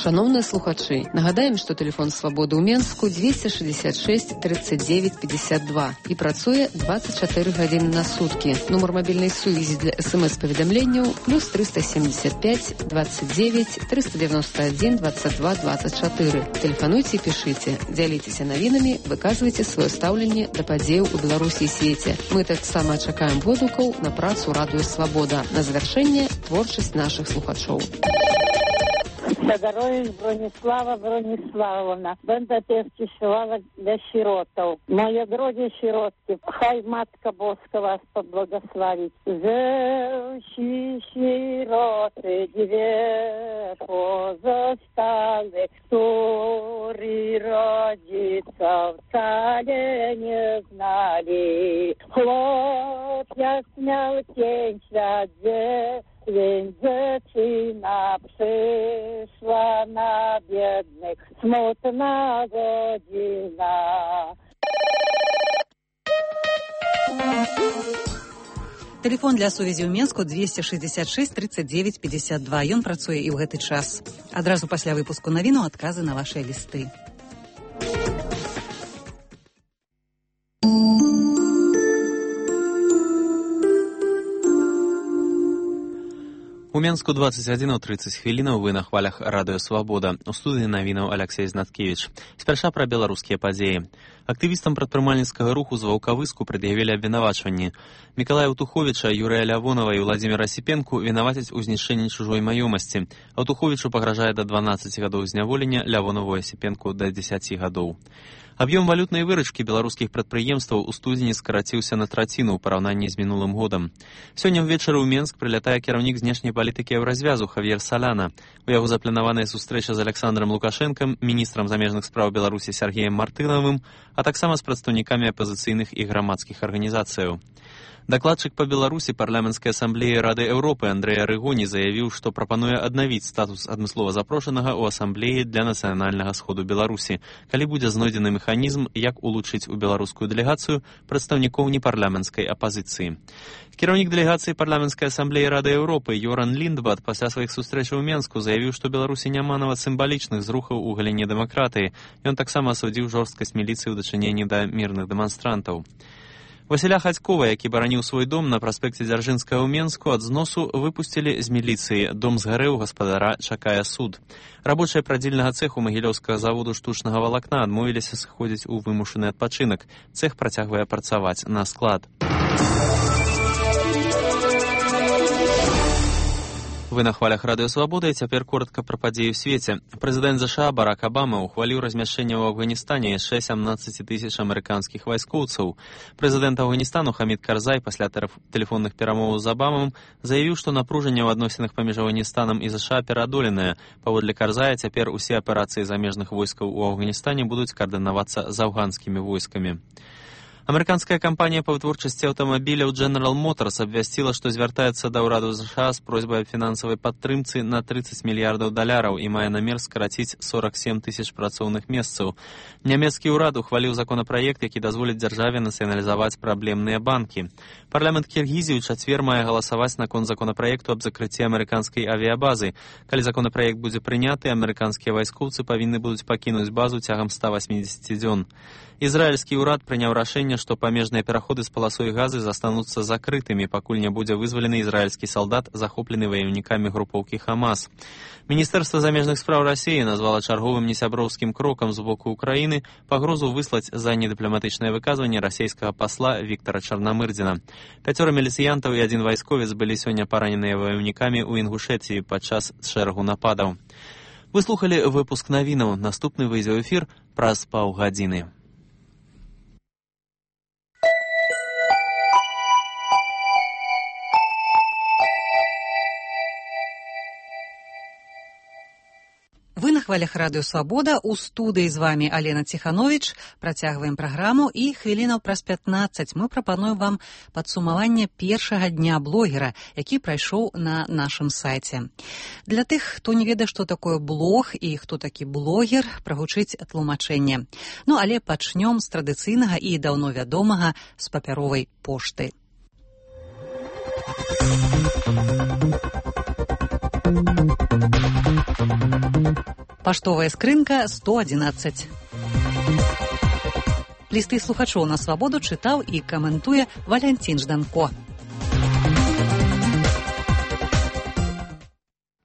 Шановныя слухачы, нагадаем, што тэлефон свабоды ў Менску дзвесце шэсцьдзесят шэсць тридцать девять пятьдесят два і працуе двадцать чатыры гадзіны на суткі. Нумар мабільнай сувязі для эс-эм-эс-паведамленняў плюс триста семьдесят пять двадцать девять триста девяносто один двадцать два двадцать четыре. Тэлефануйце і пішыце, дзяліцеся навінамі, выказвайце сваё стаўленне да падзеяў у Беларусі і свеце. Мы таксама чакаем водгукаў на працу радыё Свабода. На завяршэнне творчасць нашых слухачоў. Сагарович Бронислава Брониславовна. Będę też śpiewała dla sierotów. Moje drogie sierotki, хай Matka Boska was pobłogosławi. Zeusi sieroty dwie pozostałe, którzy rodziców wcale nie znali. Chłopiec miał pięć lat, więc dziewczyna przyszła na biednych, smutna godzina. Телефон для сувязі ў Менску двести шестьдесят шесть тридцать девять пятьдесят два. Ён працуе і ў гэты час. Адразу пасля выпуску навіну адказы на вашыя лісты. У Менску двадцать один тридцать хвілінаў, вы на хвалях Радыё Свабода. У студыі навінаў Алексей Знаткевич. Спярша пра беларускія падзеі. Актывістам прадпрымальніцкага руху з Ваўкавыску прад'явілі абвінавачванні. Мікалая Утуховіча, Юрыя Лявонова і Владзіміра Асіпенку вінавацяць у знішчэнні чужой маёмасці. Утуховічу пагражае да дванаццаці гадоў зняволення, Лявонову і Асіпенку да дзесяці гадоў. Аб'ём валютнай выручкі беларускіх прадпрыемстваў у студзені скараціўся на траціну ў параўнанні з мінулым годам. Сёння ўвечары ў Менск прылятае кіраўнік знешняй палітыкі Еўразвязу Хавьер Соляна. У яго запланаваная сустрэча з Александром Лукашэнкам, міністрам замежных спраў Беларусі Сергеем Мартынавым, а таксама з прадстаўнікамі апазіцыйных і грамадскіх арганізацыяў. Дакладчык па Беларусі парламенцкай асамблеі Рады Еўропы Андрэй Арыгоні заявіў, што прапануе аднавіць статус адмыслова запрошанага ў асамблеі для нацыянальнага сходу Беларусі, калі будзе знойдзены механізм, як улучшыць у беларускую дэлегацыю прадстаўнікоў непарламенцкай апазіцыі. Кіраўнік дэлегацыі парламенцкай асамблеі Рады Еўропы Йоран Ліндбад пасля сваіх сустрэчаў у Менску заявіў, што Беларусі няма нават сімвалічных зрухаў у галіне дэмакратыі. Ён таксама асудзіў жорсткасць міліцыі ў дачыненні да мірных дэманстрантаў. Васіля Хацькова, які бараніў свой дом на праспекце Дзяржынскага ў Менску, ад зносу выпусцілі з міліцыі. Дом згарэў, гаспадара чакае суд. Рабочыя прадзільнага цэху магілёўскага заводу штучнага валакна адмовіліся сыходзіць у вымушаны адпачынак. Цэх працягвае працаваць на склад. Вы на хвалях Радыё Свабода, і цяпер коротка пра падзеі ў свеце. Прэзідэнт ЗША Барак Абама ухваліў размяшчэнне ў Афганістане яшчэ сямнаццаці тысяч амерыканскіх вайскоўцаў. Прэзідэнт Афганістану Хамід Карзай пасля тэлефонных перамоваў з Абамам заявіў, што напружанне ў адносінах паміж Афганістанам і ЗША пераадоленае. Паводле Карзая, цяпер усе аперацыі замежных войскаў у Афганістане будуць каардынавацца з афганскімі войскамі. Амерыканская кампанія па вытворчасці аўтамабіляў General Motors абвясціла, што звяртаецца да ўраду ЗША з просьбай аб фінансавай падтрымцы на трыццаць мільярдаў даляраў і мае намер скараціць сорок сем тысяч працоўных месцаў. Нямецкі ўрад ухваліў законапраект, які дазволіць дзяржаве нацыяналізаваць праблемныя банкі. Парламент Кіргізіі ў чацвер мае галасаваць наконт законапраекту аб закрыцці амерыканскай авіябазы. Калі законапраект будзе прыняты, амерыканскія вайскоўцы павінны будуць пакінуць базу цягам ста васьмідзесяці дзён. Ізраільскі ўрад прыняў рашэнне, што памежныя пераходы з паласой газы застануцца закрытымі, пакуль не будзе вызвалены ізраільскі салдат, захоплены ваяўнікамі групоўкі Хамас. Міністэрства замежных спраў Расіі назвала чарговым несяброўскім крокам з боку Украіны пагрозу выслаць за недыпламатычнае выказванне расійскага пасла Віктара Чарнамырдзіна. Пяцёра міліцыянтаў і адзін вайсковец былі сёння параненыя ваяўнікамі ў Інгушэцыі падчас шэрагу нападаў. Вы слухалі выпуск навінаў. Наступны выйдзе ў эфір праз паўгадзіны. Вы на хвалях Радыё Свабода, у студыі з вами Алена Ціхановіч. Працягваем праграму і хвілінаў праз пятнаццаць мы прапануем вам падсумаванне першага дня блогера, які прайшоў на нашым сайце. Для тых, хто не ведае, што такое блог і хто такі блогер, прагучыць тлумачэнне. Ну, але пачнём з традыцыйнага і даўно вядомага з папяровай пошты. Паштовая скрынка сто адзінаццаць. Лісты слухачоў на свабоду чытаў і каментуе Валянцін Жданко.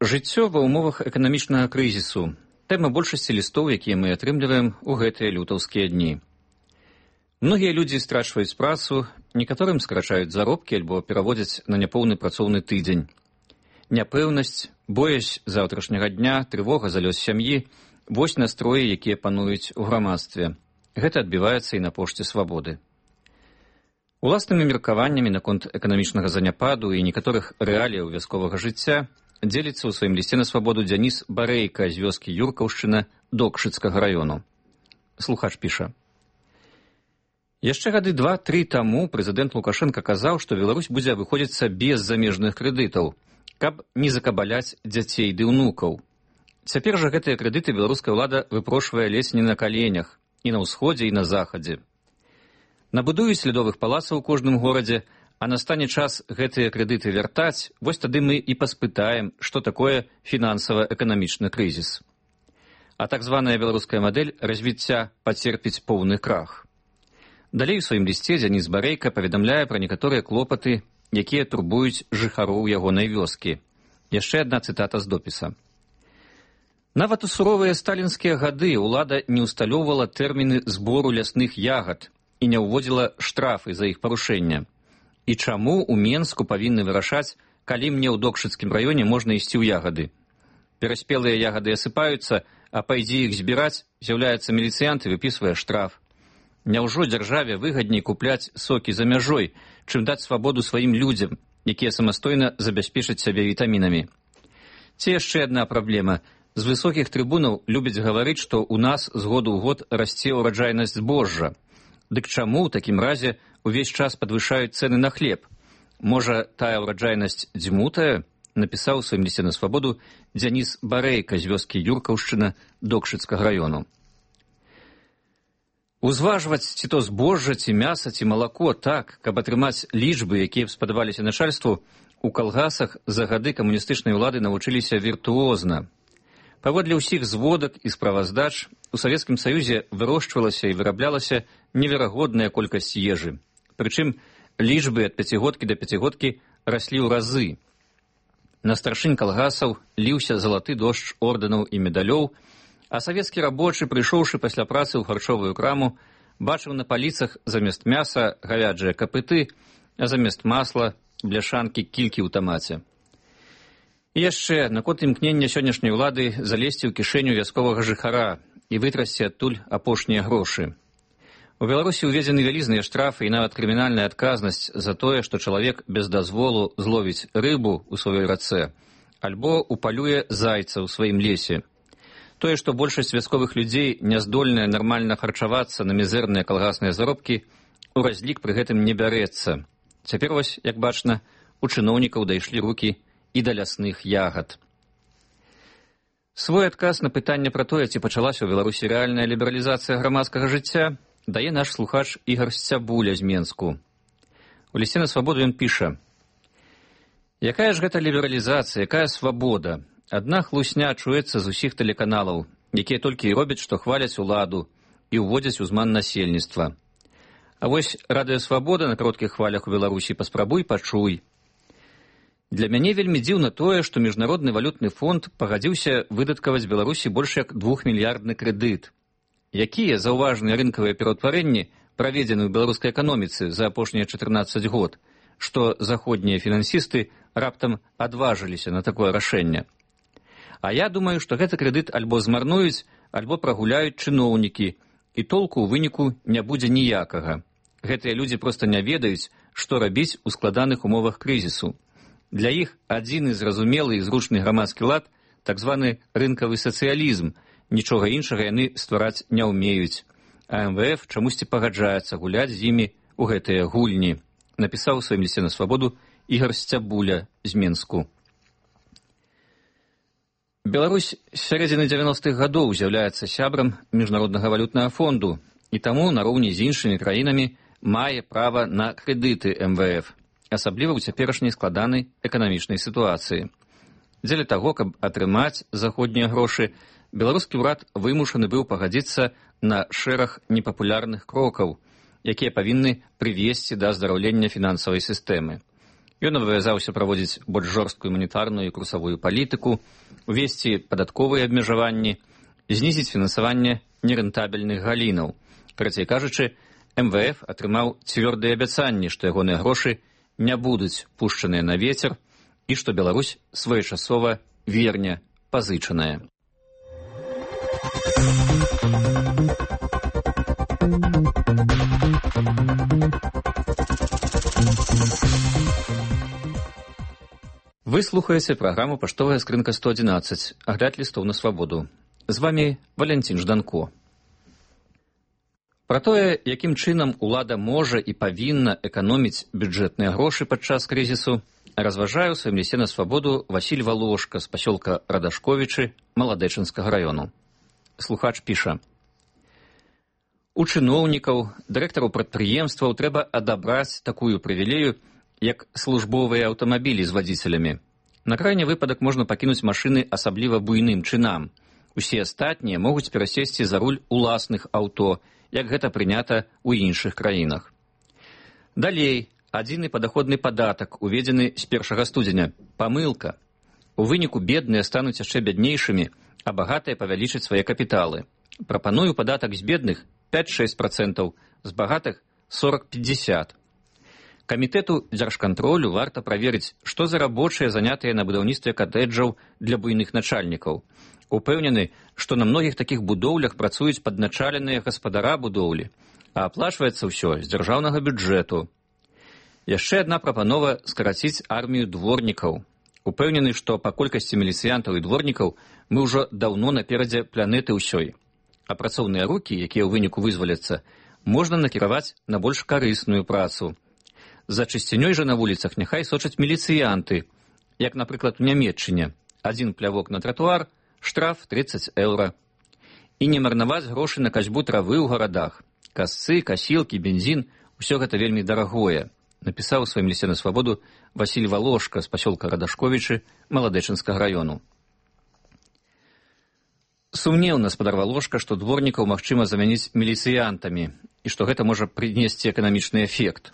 Жыццё ва ўмовах эканамічнага крызісу. Тэма большасці лістоў, якія мы атрымліваем у гэтыя лютаўскія дні. Многія людзі страчваюць працу, некаторым скарачаюць заробкі альбо пераводзяць на няпоўны працоўны тыдзень. Няпэўнасць, боязь заўтрашняга дня, трывога за лёс сям'і – вось настроі, якія пануюць у грамадстве. Гэта адбіваецца і на пошце свабоды. Уласнымі меркаваннямі наконт эканамічнага заняпаду і некаторых рэаліяў вясковага жыцця дзеліцца ў сваім лісце на свабоду Дзяніс Барэйка з вёскі Юркаўшчына Докшыцкага раёну. Слухач піша. Яшчэ гады два-тры таму прэзідэнт Лукашенка казаў, што Беларусь будзе выходзіцца без замежных крэдытаў, каб не закабаляць дзяцей ды ўнукаў. Цяпер жа гэтыя крэдыты беларуская ўлада выпрошвае ледзь не на каленях, і на ўсходзе, і на захадзе. Набудуюць лядовых палацаў у кожным горадзе, а настане час гэтыя крэдыты вяртаць, вось тады мы і паспытаем, што такое фінансава-эканамічны крызіс. А так званая беларуская мадэль развіцця пацерпіць поўны крах. Далей у сваім лісце Дзяніс Барэйка паведамляе пра некаторыя клопаты, якія турбуюць жыхароў ягонай вёскі. Яшчэ адна цытата з допіса. Нават у суровыя сталінскія гады ўлада не ўсталёўвала тэрміны збору лясных ягад і не ўводзіла штрафы за іх парушэнне. І чаму ў Менску павінны вырашаць, калі мне ў Докшыцкім раёне можна ісці ў ягады? Пераспелыя ягады асыпаюцца, а пайдзі іх збіраць, з'яўляецца міліцыянт і выпісвае штраф. Няўжо дзяржаве выгадней купляць сокі за мяжой, чым даць свабоду сваім людзям, якія самастойна забяспечаць сябе вітамінамі? Ці яшчэ адна праблема. З высокіх трыбунаў любяць гаварыць, што ў нас з году ў год расце ўраджайнасць збожжа. Дык чаму ў такім разе увесь час падвышаюць цэны на хлеб? Можа, тая ўраджайнасць дзьмутая? Напісаў у сваім лісце на свабоду Дзяніс Барэйка з вёскі Юркаўшчына Докшыцкага раёну. Узважваць ці то збожжа, ці мяса, ці малако так, каб атрымаць лічбы, якія б спадабаліся начальству, у калгасах за гады камуністычнай улады навучыліся віртуозна. Паводле ўсіх зводак і справаздач, у Савецкім Саюзе вырошчвалася і выраблялася неверагодная колькасць ежы. Прычым лічбы ад пяцігодкі да пяцігодкі раслі ў разы. На старшынь калгасаў ліўся залаты дождж ордэнаў і медалёў, а савецкі рабочы, прыйшоўшы пасля працы ў харчовую краму, бачыў на паліцах замест мяса гавяджыя капыты, а замест масла бляшанкі кількі ў тамаце. І яшчэ наконт імкнення сённяшняй улады залезці ў кішэню вясковага жыхара і вытрасці адтуль апошнія грошы. У Беларусі ўведзены вялізныя штрафы і нават крымінальная адказнасць за тое, што чалавек без дазволу зловіць рыбу ў сваёй рацэ альбо упалюе зайца ў сваім лесе. Тое, што большасць вясковых людзей няздольная нармальна харчавацца на мізэрныя калгасныя заробкі, у разлік пры гэтым не бярэцца. Цяпер вось, як бачна, у чыноўнікаў дайшлі рукі і да лясных ягад. Свой адказ на пытанне пра тое, ці пачалася ў Беларусі рэальная лібералізацыя грамадскага жыцця, дае наш слухач Ігар Сцябуля з Менску. У лісце на свабоду ён піша: «Якая ж гэта лібералізацыя, якая свабода? Адна хлусня чуецца з усіх тэлеканалаў, якія толькі і робяць, што хваляць уладу і ўводзяць узман насельніцтва. А вось радыёсвабода на кароткіх хвалях у Беларусі паспрабуй пачуй. Для мяне вельмі дзіўна тое, што Міжнародны валютны фонд пагадзіўся выдаткаваць Беларусі больш як двухмільярдны крэдыт. Якія заўважныя рынкавыя пераўтварэнні праведзены ў беларускай эканоміцы за апошнія чатырнаццаць год, што заходнія фінансісты раптам адважыліся на такое рашэнне? А я думаю, што гэты крэдыт альбо змарнуюць, альбо прагуляюць чыноўнікі, і толку ў выніку не будзе ніякага. Гэтыя людзі проста не ведаюць, што рабіць у складаных умовах крызісу. Для іх адзіны зразумелы і зручны грамадскі лад, так званы рынкавы сацыялізм, нічога іншага яны ствараць не ўмеюць. А эм вэ эф чамусьці пагаджаецца гуляць з імі ў гэтыя гульні», напісаў у сваім лісце на свабоду Ігар Сцябуля з Менску. Беларусь з сярэдзіны дзевяностых гадоў з'яўляецца сябрам Міжнароднага валютнага фонду і таму нароўні з іншымі краінамі мае права на крэдыты эм вэ эф, асабліва ў цяперашняй складанай эканамічнай сітуацыі. Дзеля таго, каб атрымаць заходнія грошы, беларускі ўрад вымушаны быў пагадзіцца на шэраг непапулярных крокаў, якія павінны прывесці да аздараўлення фінансавай сістэмы. Ён абавязаўся праводзіць больш жорсткую манетарную і курсавую палітыку, увесці падатковыя абмежаванні, знізіць фінансаванне нерэнтабельных галінаў. Карацей кажучы, эм вэ эф атрымаў цвёрдыя абяцанні, што ягоныя грошы не будуць пушчаныя на вецер, і што Беларусь своечасова верне пазычаная. Вы слухаеце праграму «Паштовая скрынка сто адзінаццаць», агляд лістоў на свабоду. З вамі Валянцін Жданко. Пра тое, якім чынам улада можа і павінна эканоміць бюджэтныя грошы падчас крызісу, разважае ў сваім лісце на свабоду Васіль Валошка з пасёлка Радашковічы Маладэчынскага раёну. Слухач піша: у чыноўнікаў, дырэктараў прадпрыемстваў трэба адабраць такую прывілею, як службовыя аўтамабілі з вадзіцелямі. На крайні выпадак можна пакінуць машыны асабліва буйным чынам. Усе астатнія могуць перасесці за руль уласных аўто, як гэта прынята ў іншых краінах. Далей, адзіны падаходны падатак, уведзены з першага студзеня. Памылка. У выніку бедныя стануць яшчэ бяднейшымі, а багатыя павялічаць свае капіталы. Прапаную падатак з бедных пяць-шэсць працэнтаў, з багатых сорок-пятьдесят. Камітэту дзяржкантролю варта праверыць, што за рабочыя занятыя на будаўніцтве катэджаў для буйных начальнікаў. Упэўнены, што на многіх такіх будоўлях працуюць падначаленыя гаспадара будоўлі, а аплачваецца ўсё з дзяржаўнага бюджэту. Яшчэ адна прапанова скараціць армію дворнікаў. Упэўнены, што па колькасці міліцыянтаў і дворнікаў мы ўжо даўно наперадзе планеты ўсёй. А працоўныя рукі, якія ў выніку вызваляцца, можна накіраваць на больш карысную працу. За чысцінёй жа на вуліцах няхай сочаць міліцыянты, як, напрыклад, у Нямецчыне. Адзін плявок на тратуар, штраф тридцать еўра. І не марнаваць грошы на касьбу травы ў гарадах. Касцы, касілкі, бензін – усё гэта вельмі дарагое, напісаў у сваім лісце на свабоду Васіль Валошка з пасёлка Радашковічы Маладэчынскага раёну. Сумнеўна спадар Валошка, што дворнікаў магчыма замяніць міліцыянтамі і што гэта можа прынесці эканамічны эфект.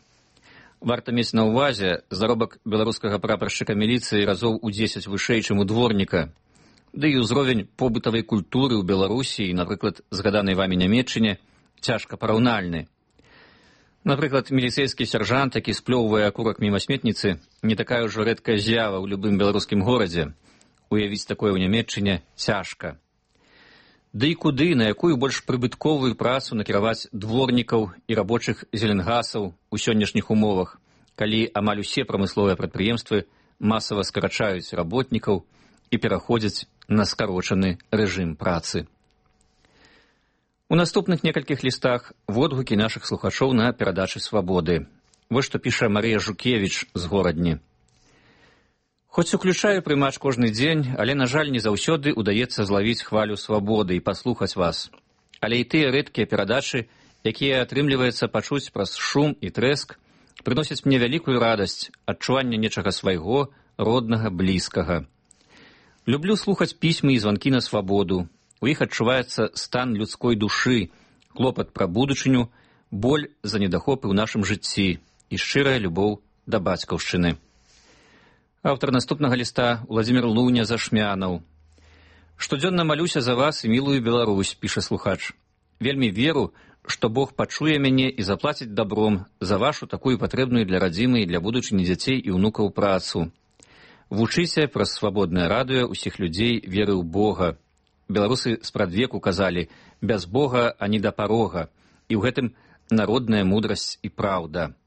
Варта мець на ўвазе, заробак беларускага прапаршчыка міліцыі разоў у дзесяць вышэй, чым у дворніка. Ды і ўзровень побытавай культуры ў Беларусі і, напрыклад, згаданай вамі Нямецчыне, цяжка параўнальны. Напрыклад, міліцэйскі сяржант, які сплёўвае акурак міма сметніцы, не такая ўжо рэдкая з'ява ў любым беларускім горадзе. Уявіць такое ў Нямецчыне цяжка. Ды і куды, на якую больш прыбытковую працу накіраваць дворнікаў і рабочых зеленгасаў у сённяшніх умовах, калі амаль усе прамысловыя прадпрыемствы масава скарачаюць работнікаў і пераходзяць на скарочаны рэжым працы. У наступных некалькіх лістах водгукі нашых слухачоў на перадачы свабоды. Вось што піша Марыя Жукевіч з Горадні. Хоць уключаю прымач кожны дзень, але, на жаль, не заўсёды ўдаецца злавіць хвалю свабоды і паслухаць вас. Але і тыя рэдкія перадачы, якія атрымліваецца пачуць праз шум і трэск, прыносяць мне вялікую радасць, адчуванне нечага свайго, роднага, блізкага. Люблю слухаць пісьмы і званкі на свабоду. У іх адчуваецца стан людской душы, клопат пра будучыню, боль за недахопы ў нашым жыцці і шчырая любоў да бацькаўшчыны. Аўтар наступнага ліста Владзімір Луня Зашмянаў. Штодзённа малюся за вас і мілую Беларусь, піша слухач. Вельмі веру, што Бог пачуе мяне і заплаціць дабром за вашу такую патрэбную для радзімы і для будучыні дзяцей і ўнукаў працу. Вучыся праз свабоднае радыё ўсіх людзей веры ў Бога. Беларусы спрадвеку казалі: без Бога ані да парога, і ў гэтым народная мудрасць і праўда.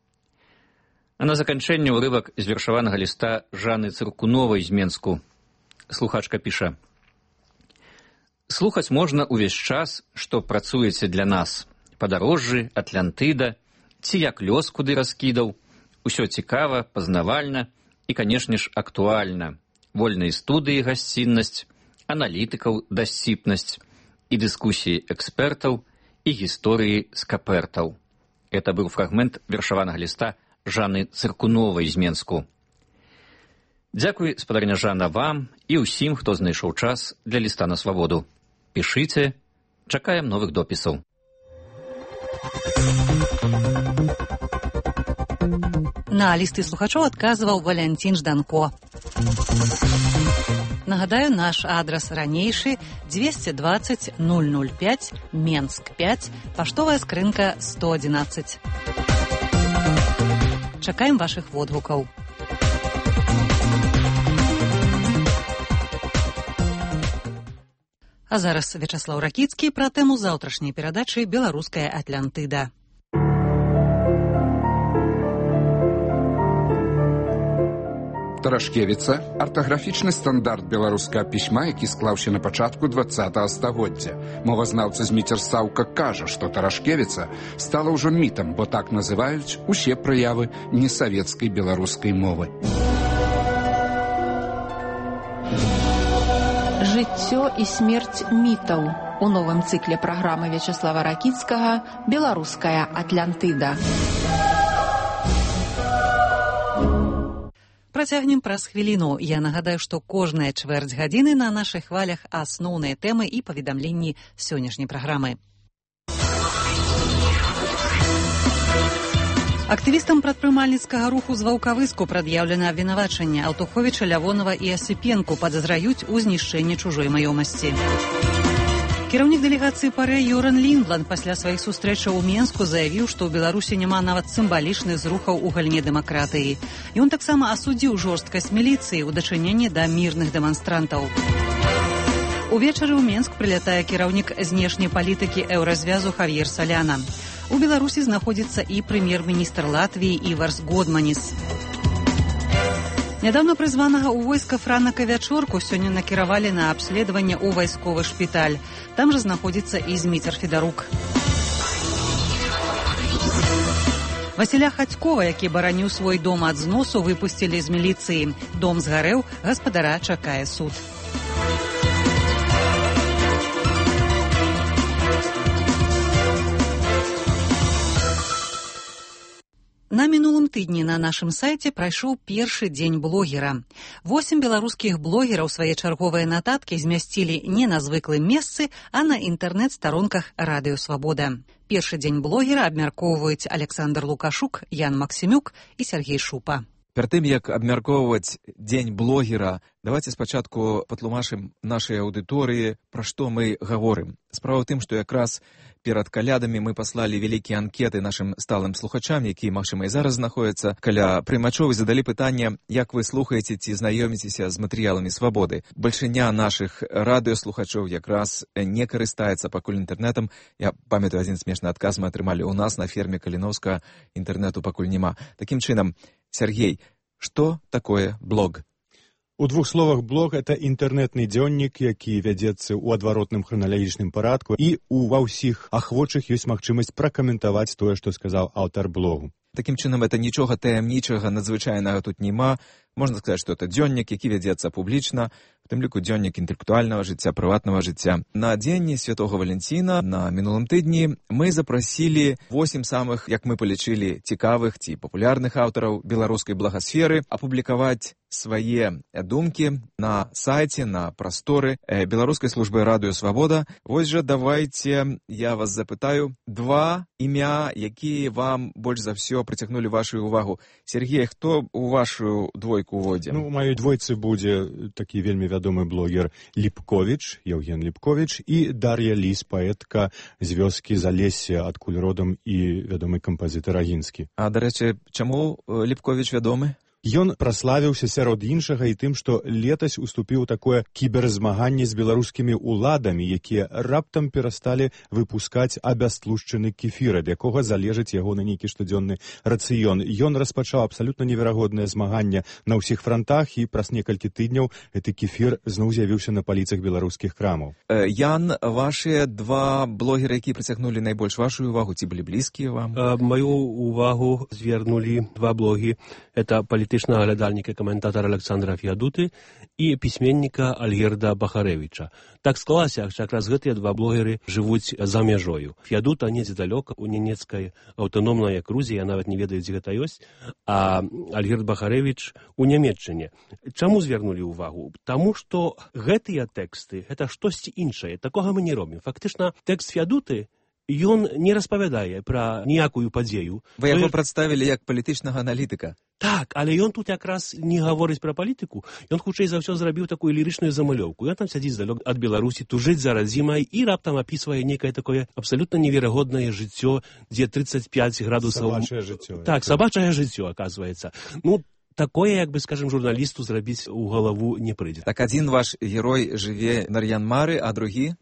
А на заканчэнне ўрывак з вершаванага ліста Жанны Цыркуновай з Менску. Слухачка піша: слухаць можна ўвесь час, што працуеце для нас. Падарожжы, Атлантыда, ці як лёс куды раскідаў. Усё цікава, пазнавальна і, канешне ж, актуальна. Вольныя студыі гасціннасць, аналітыкаў дасціпнасць і дыскусіі экспертаў і гісторыі скапертаў. Это быў фрагмент вершаванага ліста Жанны Цыркуновай з Менску. Дзякуй, спадарня Жанна, вам і ўсім, хто знайшоў час для ліста на свабоду. Пішыце, чакаем новых допісаў. На лісты слухачоў адказваў Валянцін Жданко. Нагадаю, наш адрас ранейшы двести двадцать ноль ноль пять, Менск пять, паштовая скрынка сто адзінаццаць. Чакаем вашых водгукаў. А зараз Вячаслаў Ракіцкі пра тэму заўтрашняй перадачы «Беларуская Атлантыда». Тарашкевіца – артаграфічны стандарт беларускага пісьма, які склаўся на пачатку двадцатага стагоддзя. Мовазнаўца Зміцер Саўка кажа, што Тарашкевіца стала ўжо мітам, бо так называюць усе праявы несавецкай беларускай мовы. Жыццё і смерць мітаў у новым цыкле праграмы Вячаслава Ракіцкага «Беларуская Атлантыда». Працягнем праз хвіліну. Я нагадаю, што кожная чвэрць гадзіны на нашых хвалях асноўныя тэмы і паведамленні сённяшняй праграмы. Актывістам прадпрымальніцкага руху з Ваўкавыску прад'яўлена абвінавачанне. Аўтуховіча, Лявонова і Асіпенку падазраюць у знішчэнні чужой маёмасці. Кіраўнік дэлегацыі ПАРЭ Йоран Ліндланд пасля сваіх сустрэчаў у Менску заявіў, што ў Беларусі няма нават сімвалічных зрухаў у галіне дэмакратыі. Ён таксама асудзіў жорсткасць міліцыі ў дачыненні да мірных дэманстрантаў. Увечары ў Менск прылятае кіраўнік знешняй палітыкі еўразвязу Хавьер Саляна. У Беларусі знаходзіцца і прэм'ер-міністр Латвіі Іварс Годманіс. Нядаўна прызванага ў войска Франака Вячорку сёння накіравалі на абследаванне ў вайсковы шпіталь. Там жа знаходзіцца і Зміцер Федарук. Васіля Хацькова, які бараніў свой дом ад зносу, выпусцілі з міліцыі. Дом згарэў, гаспадара чакае суд. На мінулым тыдні на нашым сайце прайшоў першы дзень блогера. Восем беларускіх блогераў свае чарговыя нататкі змясцілі не на звыклым месцы, а на інтэрнэт-старонках Радыё Свабода. Першы дзень блогера абмяркоўваюць Александр Лукашук, Ян Максімюк і Сергей Шупа. Перад тым, як абмяркоўваць дзень блогера, давайте спачатку патлумачым нашай аўдыторыі, пра што мы гаворым. Справа ў тым, што якраз перад калядамі мы паслалі вялікія анкеты нашым сталым слухачам, якія, магчыма, і зараз знаходзяцца каля прымачоў, і задалі пытанне, як вы слухаеце ці знаёміцеся з матэрыяламі Свабоды. Бальшыня нашых радыёслухачоў якраз не карыстаецца пакуль інтэрнэтам. Я памятаю, адзін смешны адказ мы атрымалі ў нас на ферме Каліноўска, інтэрнэту пакуль няма. Такім чынам, Сергей, што такое блог? У двух словах, блог – это інтэрнэтны дзённік, які вядзецца ў адваротным храналагічным парадку, і у ва ўсіх ахвочых ёсць магчымасць пракаментаваць тое, што сказаў аўтар блогу. Такім чынам, это нічога таямнічага, надзвычайнага тут няма. Можна сказаць, што это дзённік, які вядзецца публічна, в тым ліку дзённік інтэлектуальнага жыцця, прыватнага жыцця. На дзень Святога Валянціна на мінулым тыдні мы запрасілі восем самых, як мы палічылі, цікавых ці папулярных аўтараў беларускай благасферы апублікаваць свае думкі на сайце, на прасторы беларускай службы Радыё Свабода. Вось жа давайте я вас запытаю два імя, якія вам больш за ўсё прыцягнулі вашу увагу. Сергей, хто у вашу двойку уводзе? Ну, у маёй двойцы будзе такі вельмі вядомы блогер Ліпковіч, Еўген Ліпковіч, і Дар'я Ліс, паэтка з вёскі Залесся, адкуль родам і вядомы кампазітар Агінскі. А, дарэчы, чаму Ліпковіч вядомы? Ён праславіўся сярод іншага і тым, што летась уступіў такое кіберзмаганне з беларускімі ўладамі, якія раптам перасталі выпускаць абястлушчаны кефір, ад якога залежыць ягоны нейкі штодзённы рацыён. Ён распачаў абсалютна неверагоднае змаганне на ўсіх франтах, і праз некалькі тыдняў гэты кефір зноў з'явіўся на паліцах беларускіх крамаў. Ян, вашыя два блогеры, якія прыцягнулі найбольш вашу увагу, ці былі блізкія вам? Маю увагу звярнулі два блогі. Это палітычнага глядальніка, каментатара Александра Феадуты і пісьменніка Альгерда Бахаревіча. Так склалася, що якраз гэтыя два блогеры жывуць за мяжою. Феадута недзе далёка, у нямецкай аўтаномнай акрузе, я нават не ведаю, дзе гэта ёсць, а Альгерд Бахаревіч у Нямецчыне. Чаму звярнулі ўвагу? Таму што гэтыя тэксты, гэта штосьці іншае. Такога мы не робім. Фактычна, тэкст Феадуты ён не распавядае пра ніякую падзею. Вы яго прадставілі як палітычнага аналітыка. Так, але ён тут якраз не гаворыць пра палітыку. Ён хутчэй за ўсё зрабіў такую лірычную замалёўку. Ён там сядзіць далёк ад Беларусі, тужыць за радзімай і раптам апісвае некае такое абсалютна неверагоднае жыццё, дзе тридцать пять градусаў... Сабачае жыццё. Так, сабачае жыццё, аказваецца. Ну, такое, як бы, скажем, журналісту зрабіць у галаву не прыйдзе. Так, адзін ваш герой жыве на Нар'ян-Мары, а другі?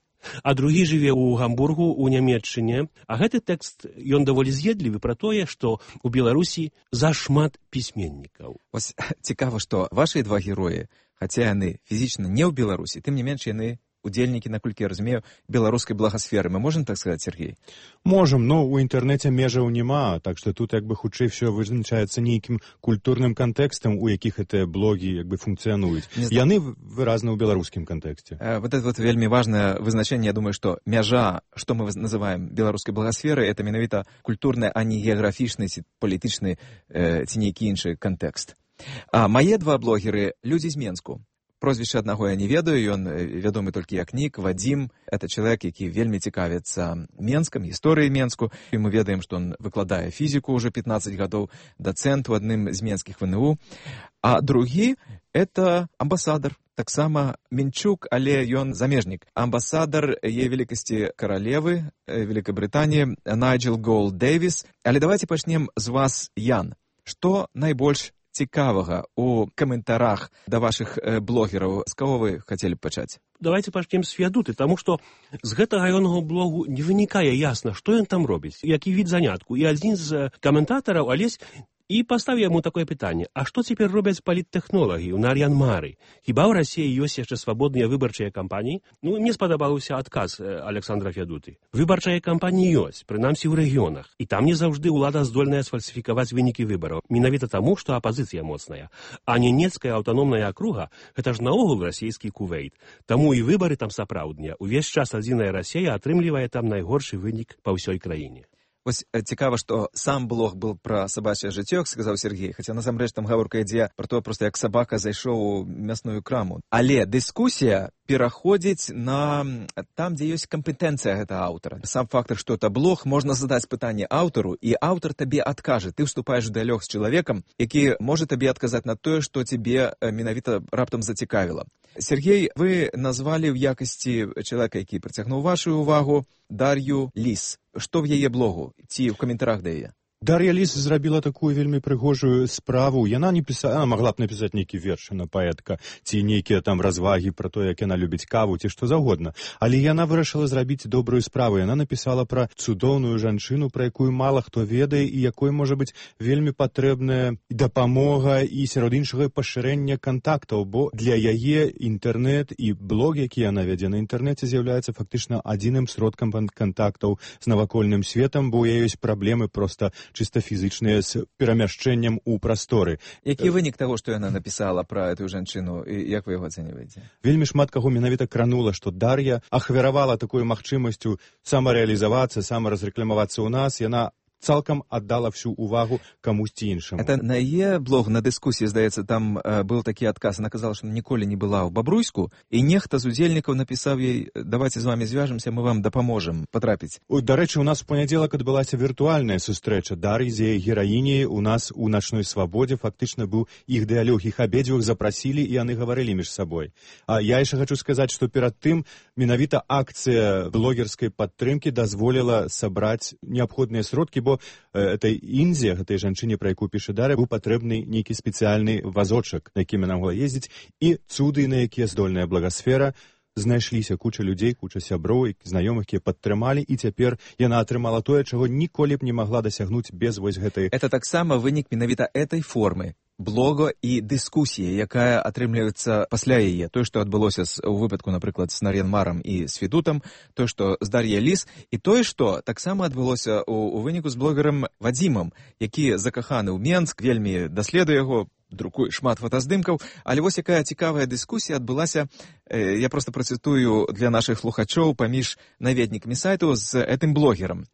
а другі жыве ў Гамбургу у Нямецчыне. А гэты тэкст ён даволі з'едлівы пра тое, што ў Беларусі зашмат пісьменнікаў. Вось цікава, што вашы два героі, хаця яны фізічна не ў Беларусі, тым не менш яны удзельнікі, наколькі я разумею, беларускай благасферы. Мы можам так сказаць, Сергей? Можам, но ў інтэрнэце межаў няма, так што тут як бы хутчэй все вызначаецца нейкім культурным кантэкстам, у якіх гэтыя блогі як бы функцыянуюць. Яны выразна ў беларускім кантэксце. Э, вот это вот вельмі важнае вызначэнне, я думаю, што мяжа, што мы называем беларускай благасферы, это менавіта культурны, а не геаграфічны ці палітычны э, ці нейкі іншы кантэкст. А мае два блогеры людзі з Менску. Прозвішча аднаго я не ведаю, ён вядомы толькі як нік, Вадзім. Это чалавек, які вельмі цікавіцца Менскам, гісторыяй Менску. І мы ведаем, што ён выкладае фізіку ўжо пятнаццаць гадоў, дацэнт у адным з менскіх вэ эн у. А другі — это амбасадар, таксама Мінчук, але ён замежнік. Амбасадар яе велікасці каралевы Великабрытаніі Найджел Голд Дэвіс. Але давайте пачнем з вас, Ян. Што найбольш цікавага у каментарах да вашых э, блогераў? З каго вы хацелі б пачаць? Давайте пачнем з Феадуты, таму што з гэтага ягонага блогу не вынікае ясна, што ён там робіць, які від занятку. І адзін з каментатараў, Алесь, і паставіў яму такое пытанне: а што цяпер робяць паліттэхнолагі ў Нар'ян-Мары? Хіба ў Расіі ёсць яшчэ свабодныя выбарчыя кампаніі? Ну, мне спадабаўся адказ Александра Феадуты. Выбарчыя кампаніі ёсць, прынамсі ў рэгіёнах, і там не заўжды ўлада здольная сфальсіфікаваць вынікі выбараў, менавіта таму, што апазіцыя моцная. А Ненецкая аўтаномная акруга — гэта ж наогул расійскі Кувейт. Таму і выбары там сапраўдныя. Увесь час адзіная Расія атрымлівае там найгоршы вынік па ўсёй краіне. Вось цікава, што сам блог был пра сабачае жыццё, сказаў Сергей, хаця насамрэч там гаворка ідзе пра то, проста як сабака зайшоў у мясную краму. Але дыскусія пераходзіць на там, дзе ёсць кампетэнцыя гэтага аўтара. Сам фактор, што это блог, можна задаць пытанне аўтару, і аўтар табе адкажа. Ты ўступаеш у дыялог з чалавекам, які можа табе адказаць на тое, што цябе менавіта раптам зацікавіла. Сергей, вы назвалі ў якасці чалавека, які прыцягнуў вашу ўвагу, Дар'ю Ліс. Што в яе блогу? Ці ў каментарах да яе? Дар'я Ліс зрабіла такую вельмі прыгожую справу. Яна не піса... Она магла б напісаць нейкі верш, на паэтка, ці нейкія там развагі пра то, як яна любіць каву, ці што заўгодна. Але яна вырашыла зрабіць добрую справу. Яна напісала пра цудоўную жанчыну, пра якую мала хто ведае, і якой можа быць вельмі патрэбная дапамога і сярод іншага пашырэння кантактаў, бо для яе інтэрнэт і блог, які яна вядзе на інтэрнэце, з'яўляецца фактычна адзіным сродкам кантактаў з навакольным светам, бо у яе ёсць праблемы проста чыста фізычныя з перамяшчэннем у прасторы. Які вынік таго, што яна напісала пра эту жанчыну, і як вы яго ацэньваеце? Вельмі шмат каго менавіта кранула, што Дар'я ахвяравала такой магчымасцю самарэалізавацца, самаразрэкламавацца ў нас. Яна цалкам аддала всю увагу камусьці іншаму. Это на яе блог, на дыскусіі, здаецца, там э, быў такі адказ. Она казала, што ніколі не была ў Бабруйску, і нехта з удзельнікаў напісаў ёй: давайте з вами звяжемся, мы вам дапаможам патрапіць. Дарэчы, у нас у панядзелак адбылася віртуальная сустрэча Дар'і з яе гераіняй. У нас у начной свабодзе фактычна быў іх дыялог, іх абедзвюх запрасілі, і яны гаварылі між сабой. А я яшчэ хачу сказаць, што перад тым менавіта акцыя блогерскай падтрымкі дазволіла сабраць неабходныя сродкі, бо этой Інзе, гэтай жанчыне, пра якую піша Дар'я, быў патрэбны нейкі спецыяльны вазочак, на якім яна могла ездзіць, і цуды, на якія здольная благасфера. Знайшліся куча людзей, куча сяброў і знаёмых, якія падтрымалі, і цяпер яна атрымала тое, чаго ніколі б не магла дасягнуць без вось гэтай. Это таксама вынік менавіта этой формы блога і дыскусіі, якая атрымліваецца пасля яе. Тое, што адбылося у выпадку, напрыклад, з Нар'ян-Марам і з Федутам, тое, што з Дар'яй Ліс, і тое, што таксама адбылося у, у выніку з блогерам Вадзімам, які закаханы ў Менск, вельмі даследуе яго, друкуе шмат фотаздымкаў. Але вось якая цікавая дыскусія адбылася, э, я проста працытую для нашых слухачоў, паміж наведнікамі сайту з гэтым блогерам.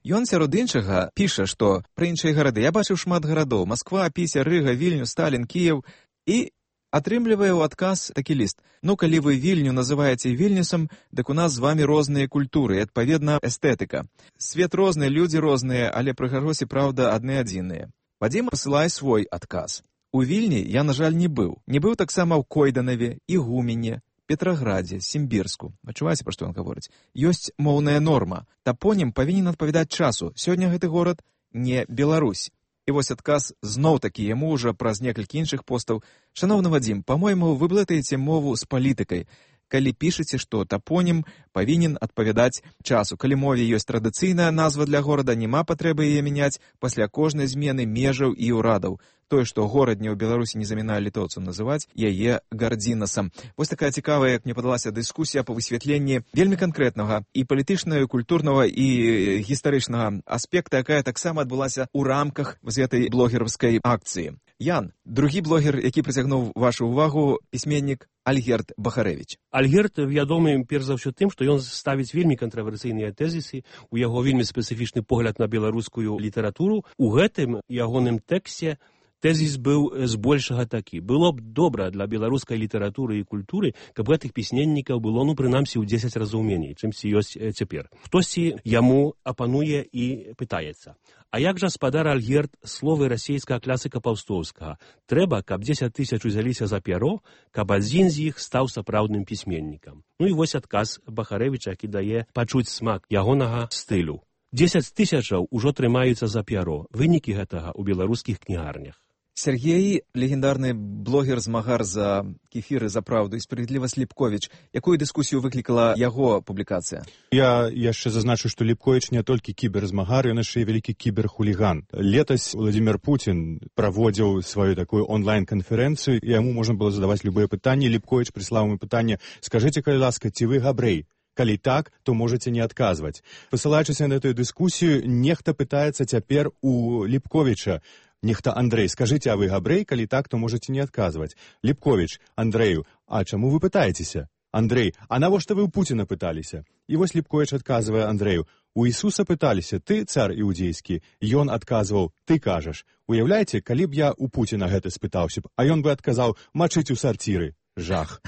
Ён сярод іншага піша, што пра іншыя гарады: я бачыў шмат гарадоў: Масква, Піся, Рыга, Вільню, Сталін, Кіеў. І атрымлівае ў адказ такі ліст: ну, калі вы Вільню называеце Вільнюсам, дык у нас з вамі розныя культуры, і, адпаведна, эстэтыка. Свет розны, людзі розныя, але прыгажосі, праўда, адны адзіныя. Вадзім пасылае свой адказ: у Вільні я, на жаль, не быў. Не быў таксама ў Койданаве, Ігумене, Петраградзе, Сімбірску. Адчуваеце, пра што ён гаворыць? Ёсць моўная норма. Тапонім павінен адпавядаць часу. Сёння гэты горад не Беларусь. І вось адказ зноў-такі яму ўжо праз некалькі іншых постаў: шановны Вадзім, па-мойму, вы блытаеце мову з палітыкай. калі пішаце, што тапонім павінен адпавядаць часу. Калі мове ёсць традыцыйная назва для горада, няма патрэбы яе мяняць пасля кожнай змены межаў і ўрадаў. Тое, што горадне ў Беларусі не замінае літоўцам называць яе Гардзінасам. Вось такая цікавая, як мне падалася, дыскусія па высвятленні вельмі канкрэтнага і палітычнага, і культурнага, і гістарычнага аспекта, якая таксама адбылася ў рамках з гэтай блогераўскай акцыі. Ян, другі блогер, які прыцягнуў вашу ўвагу, пісьменнік Альгерд Бахарэвіч. Альгерд вядомы перш за ўсё тым, што ён ставіць вельмі кантравярсійныя тэзісы, у яго вельмі спецыфічны погляд на беларускую літаратуру. У гэтым ягоным тэксце тэзіс быў збольшага такі. Было б добра для беларускай літаратуры і культуры, каб гэтых пісьменнікаў было, ну, прынамсі, ў дзесяць разоў меней, чымсьці ёсць цяпер. Хтосьці яму апануе і пытаецца. А як жа, спадар Альгерд, словы расейскага класыка Паўстоўскага? Трэба, каб дзесяць тысяч узяліся за пяро, каб адзін з іх стаў сапраўдным пісьменнікам. Ну і вось адказ Бахарэвіча, які дае пачуць смак ягонага стылю. дзесяць тысячаў ужо трымаюцца за пяро. Вынікі гэтага ў беларускіх кнігарнях. Сергей, легендарны блогер-змагар за кефіры, за праўду і справядлівасць Ліпковіч. Якую дыскусію выклікала яго публікацыя? Я яшчэ зазначу, што Ліпковіч не толькі кіберзмагар, ён яшчэ і вялікі кіберхуліган. Летась Владзімір Пуцін праводзіў сваю такую онлайн-канферэнцыю, і яму можна было задаваць любыя пытанні. Ліпковіч прыслаў ему пытанне: «Скажыце, калі ласка, ці вы габрэй? Калі так, то можаце не адказваць». Пасылаючыся на эту дыскусію, нехта пытаецца цяпер у Ліпковіча: «Нехта Андрэй, скажыце, а вы габрэй? Калі так, то можаце не адказваць». Ліпковіч Андрэю: «А чаму вы пытаецеся?» Андрэй: «А навошта вы ў Пуціна пыталіся?» І вось Ліпковіч адказвае Андрэю: «У Ісуса пыталіся: ты цар іудзейскі?» Ён адказваў: «Ты кажаш». Уяўляеце, калі б я у Пуціна гэта спытаўся б, а ён бы адказаў: «Мачыць у сарціры». Жах.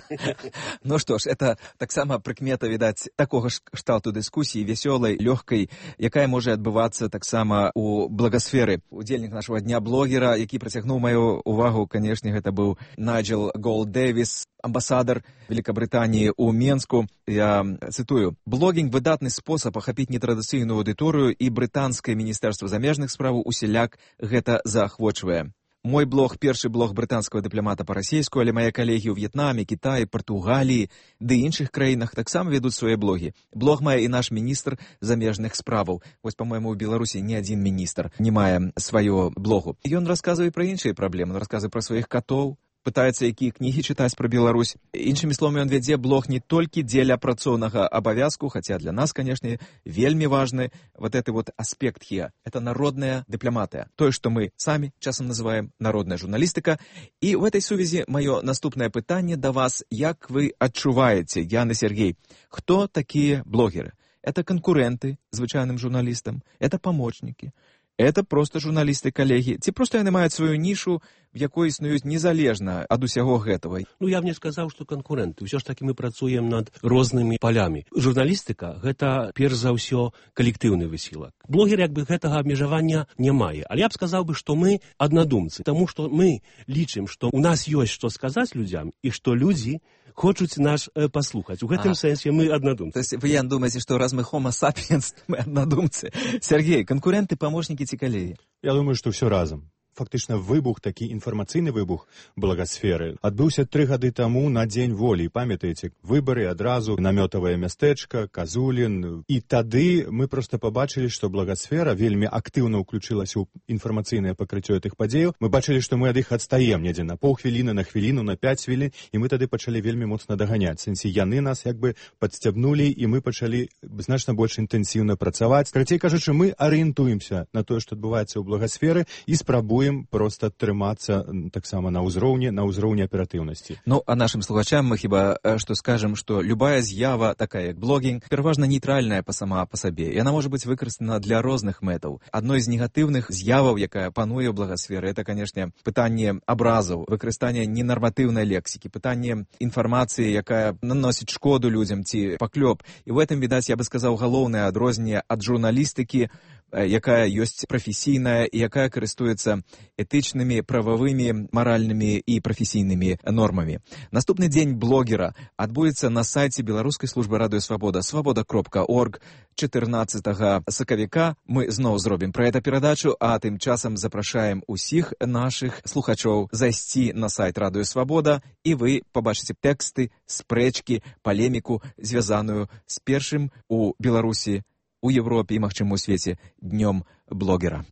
Ну што ж, это таксама прыкмета, відаць, такога ж кшталту дыскусіі, вясёлай, лёгкай, якая можа адбывацца таксама ў благасферы. Удзельнік нашага дня блогера, які прыцягнуў маю увагу, канешне, гэта быў Найджел Голд-Дэвіс, амбасадар Великабрытаніі ў Менску. Я цытую: «Блогінг – выдатны спосаб ахапіць нетрадыцыйную аўдыторыю, і брытанскае міністэрства замежных спраў усяляк гэта заахвочвае. Мой блог – першы блог брытанскага дыпламата па-расейску, але мае калегі ў В'етнаме, Кітаі, Партугаліі ды іншых краінах таксама ведуць свае блогі. Блог мае і наш міністр замежных справаў. Вось, па-мойму, у Беларусі ні адзін міністр не мае сваё блогу. Ён расказвае пра іншыя праблемы, расказвае пра сваіх катоў, пытаецца, якія кнігі чытаць пра Беларусь. Іншымі словамі, ён вядзе блог не толькі дзеля працоўнага абавязку, хаця для нас, канешне, вельмі важны вот гэты вот аспект хе. Это народная дыпламатыя. Тое, што мы самі часам называем народная журналістыка. І ў гэтай сувязі маё наступнае пытанне да вас: як вы адчуваеце, Ян і Сергей, хто такія блогеры? Это канкурэнты звычайным журналістам, это памочнікі, это просто журналісты-калегі, ці проста яны маюць сваю нішу, в якой існуюць незалежна ад усяго гэтага? Ну, я б не сказаў, што канкурэнты. Усё ж такі мы працуем над рознымі палямі. Журналістыка – гэта, перш за ўсё, калектыўны высілак. Блогер, як бы, гэтага абмежавання не мае. Але я б сказаў бы, што мы аднадумцы, таму што мы лічым, што у нас ёсць што сказаць людзям, і што людзі хочуць нас э, паслухаць. У гэтым а, сэнсе мы аднадумцы. То есть вы, Ян, думаеце, што раз мы homo sapiens, мы аднадумцы. Сергей, канкуренты, памочнікі ці калегі? Я думаю, што ўсё разам. Фактычна выбух, такі інфармацыйны выбух благасферы адбыўся тры гады таму на дзень волі. Памятаеце, выбары адразу, намётавае мястэчка, Казулін. І тады мы проста пабачылі, што благасфера вельмі актыўна ўключылася ў інфармацыйнае пакрыццё гэтых падзеяў. Мы бачылі, што мы ад іх адстаем недзе на паўхвіліны, на хвіліну, на пяць хвілін, і мы тады пачалі вельмі моцна даганяць. Сэнсе, яны нас як бы падсцябнулі, і мы пачалі значна больш інтэнсіўна працаваць. Карацей кажучы, мы арыентуемся на тое, што адбываецца ў благасферы, і спрабуем просто трымацца таксама на ўзроўні, на ўзроўні аператыўнасці. Ну, а нашым слухачам мы хіба што скажам, што любая з'ява, такая як блогінг, пераважна нейтральная па сама па сабе. Яна можа быць выкарыстана для розных мэтаў. Адной з негатыўных з'яваў, якая пануе ў благасферы, это, канешне, пытанне абразаў, выкарыстанне ненарматыўнай лексікі, пытанне інфармацыі, якая наносіць шкоду людзям ці паклёп. І ў гэтым, відаць, я бы сказаў, галоўнае адрозненне ад журналістыкі якая ёсць прафесійная і якая карыстуецца этычнымі, прававымі, маральнымі і прафесійнымі нормамі. Наступны дзень блогера адбудзецца на сайце беларускай службы радыёсвабода свабода кропка орг чатырнаццатага сакавіка. Мы зноў зробім пра гэта перадачу, а тым часам запрашаем усіх нашых слухачоў зайсці на сайт радыёсвабода, і вы пабачыце тэксты, спрэчкі, палеміку, звязаную з першым у Беларусі, у Европе і, магчыма, у свеце днём блогера.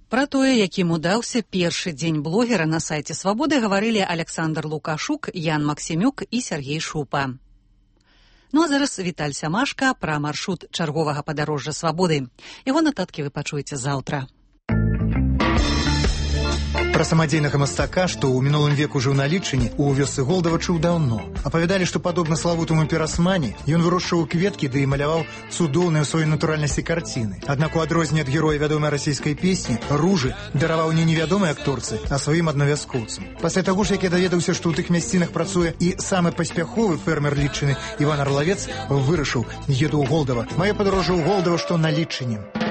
Пра тое, якім удаўся першы дзень блогера на сайце Свабоды, гаварылі Александр Лукашук, Ян Максімюк і Сергей Шупа. Ну а зараз Віталь Сямашка пра маршрут чарговага падарожжа Свабоды. Яго нататкі вы пачуеце заўтра. Пра самадзейнага мастака, што ў мінулым веку жыў на Лічыне, у вёсцы Голдава чуў даўно. Апавядалі, што падобна славутаму пірасмані, ён вырошчваў кветкі ды і маляваў цудоўныя ў сваёй натуральнасці карціны. Аднак у адрозненне ад героя вядомай расійскай песні, ружы дараваў не невядомай акторцы, а сваім аднавязкоўцам. Пасля таго ж, як я даведаўся, што ў тых мясцінах працуе і самы паспяховы фермер Лічыны Іван Арлавец, вырашыў, еду ў Голдава. Маё падарожжа ў Голдава, што на Лічыне.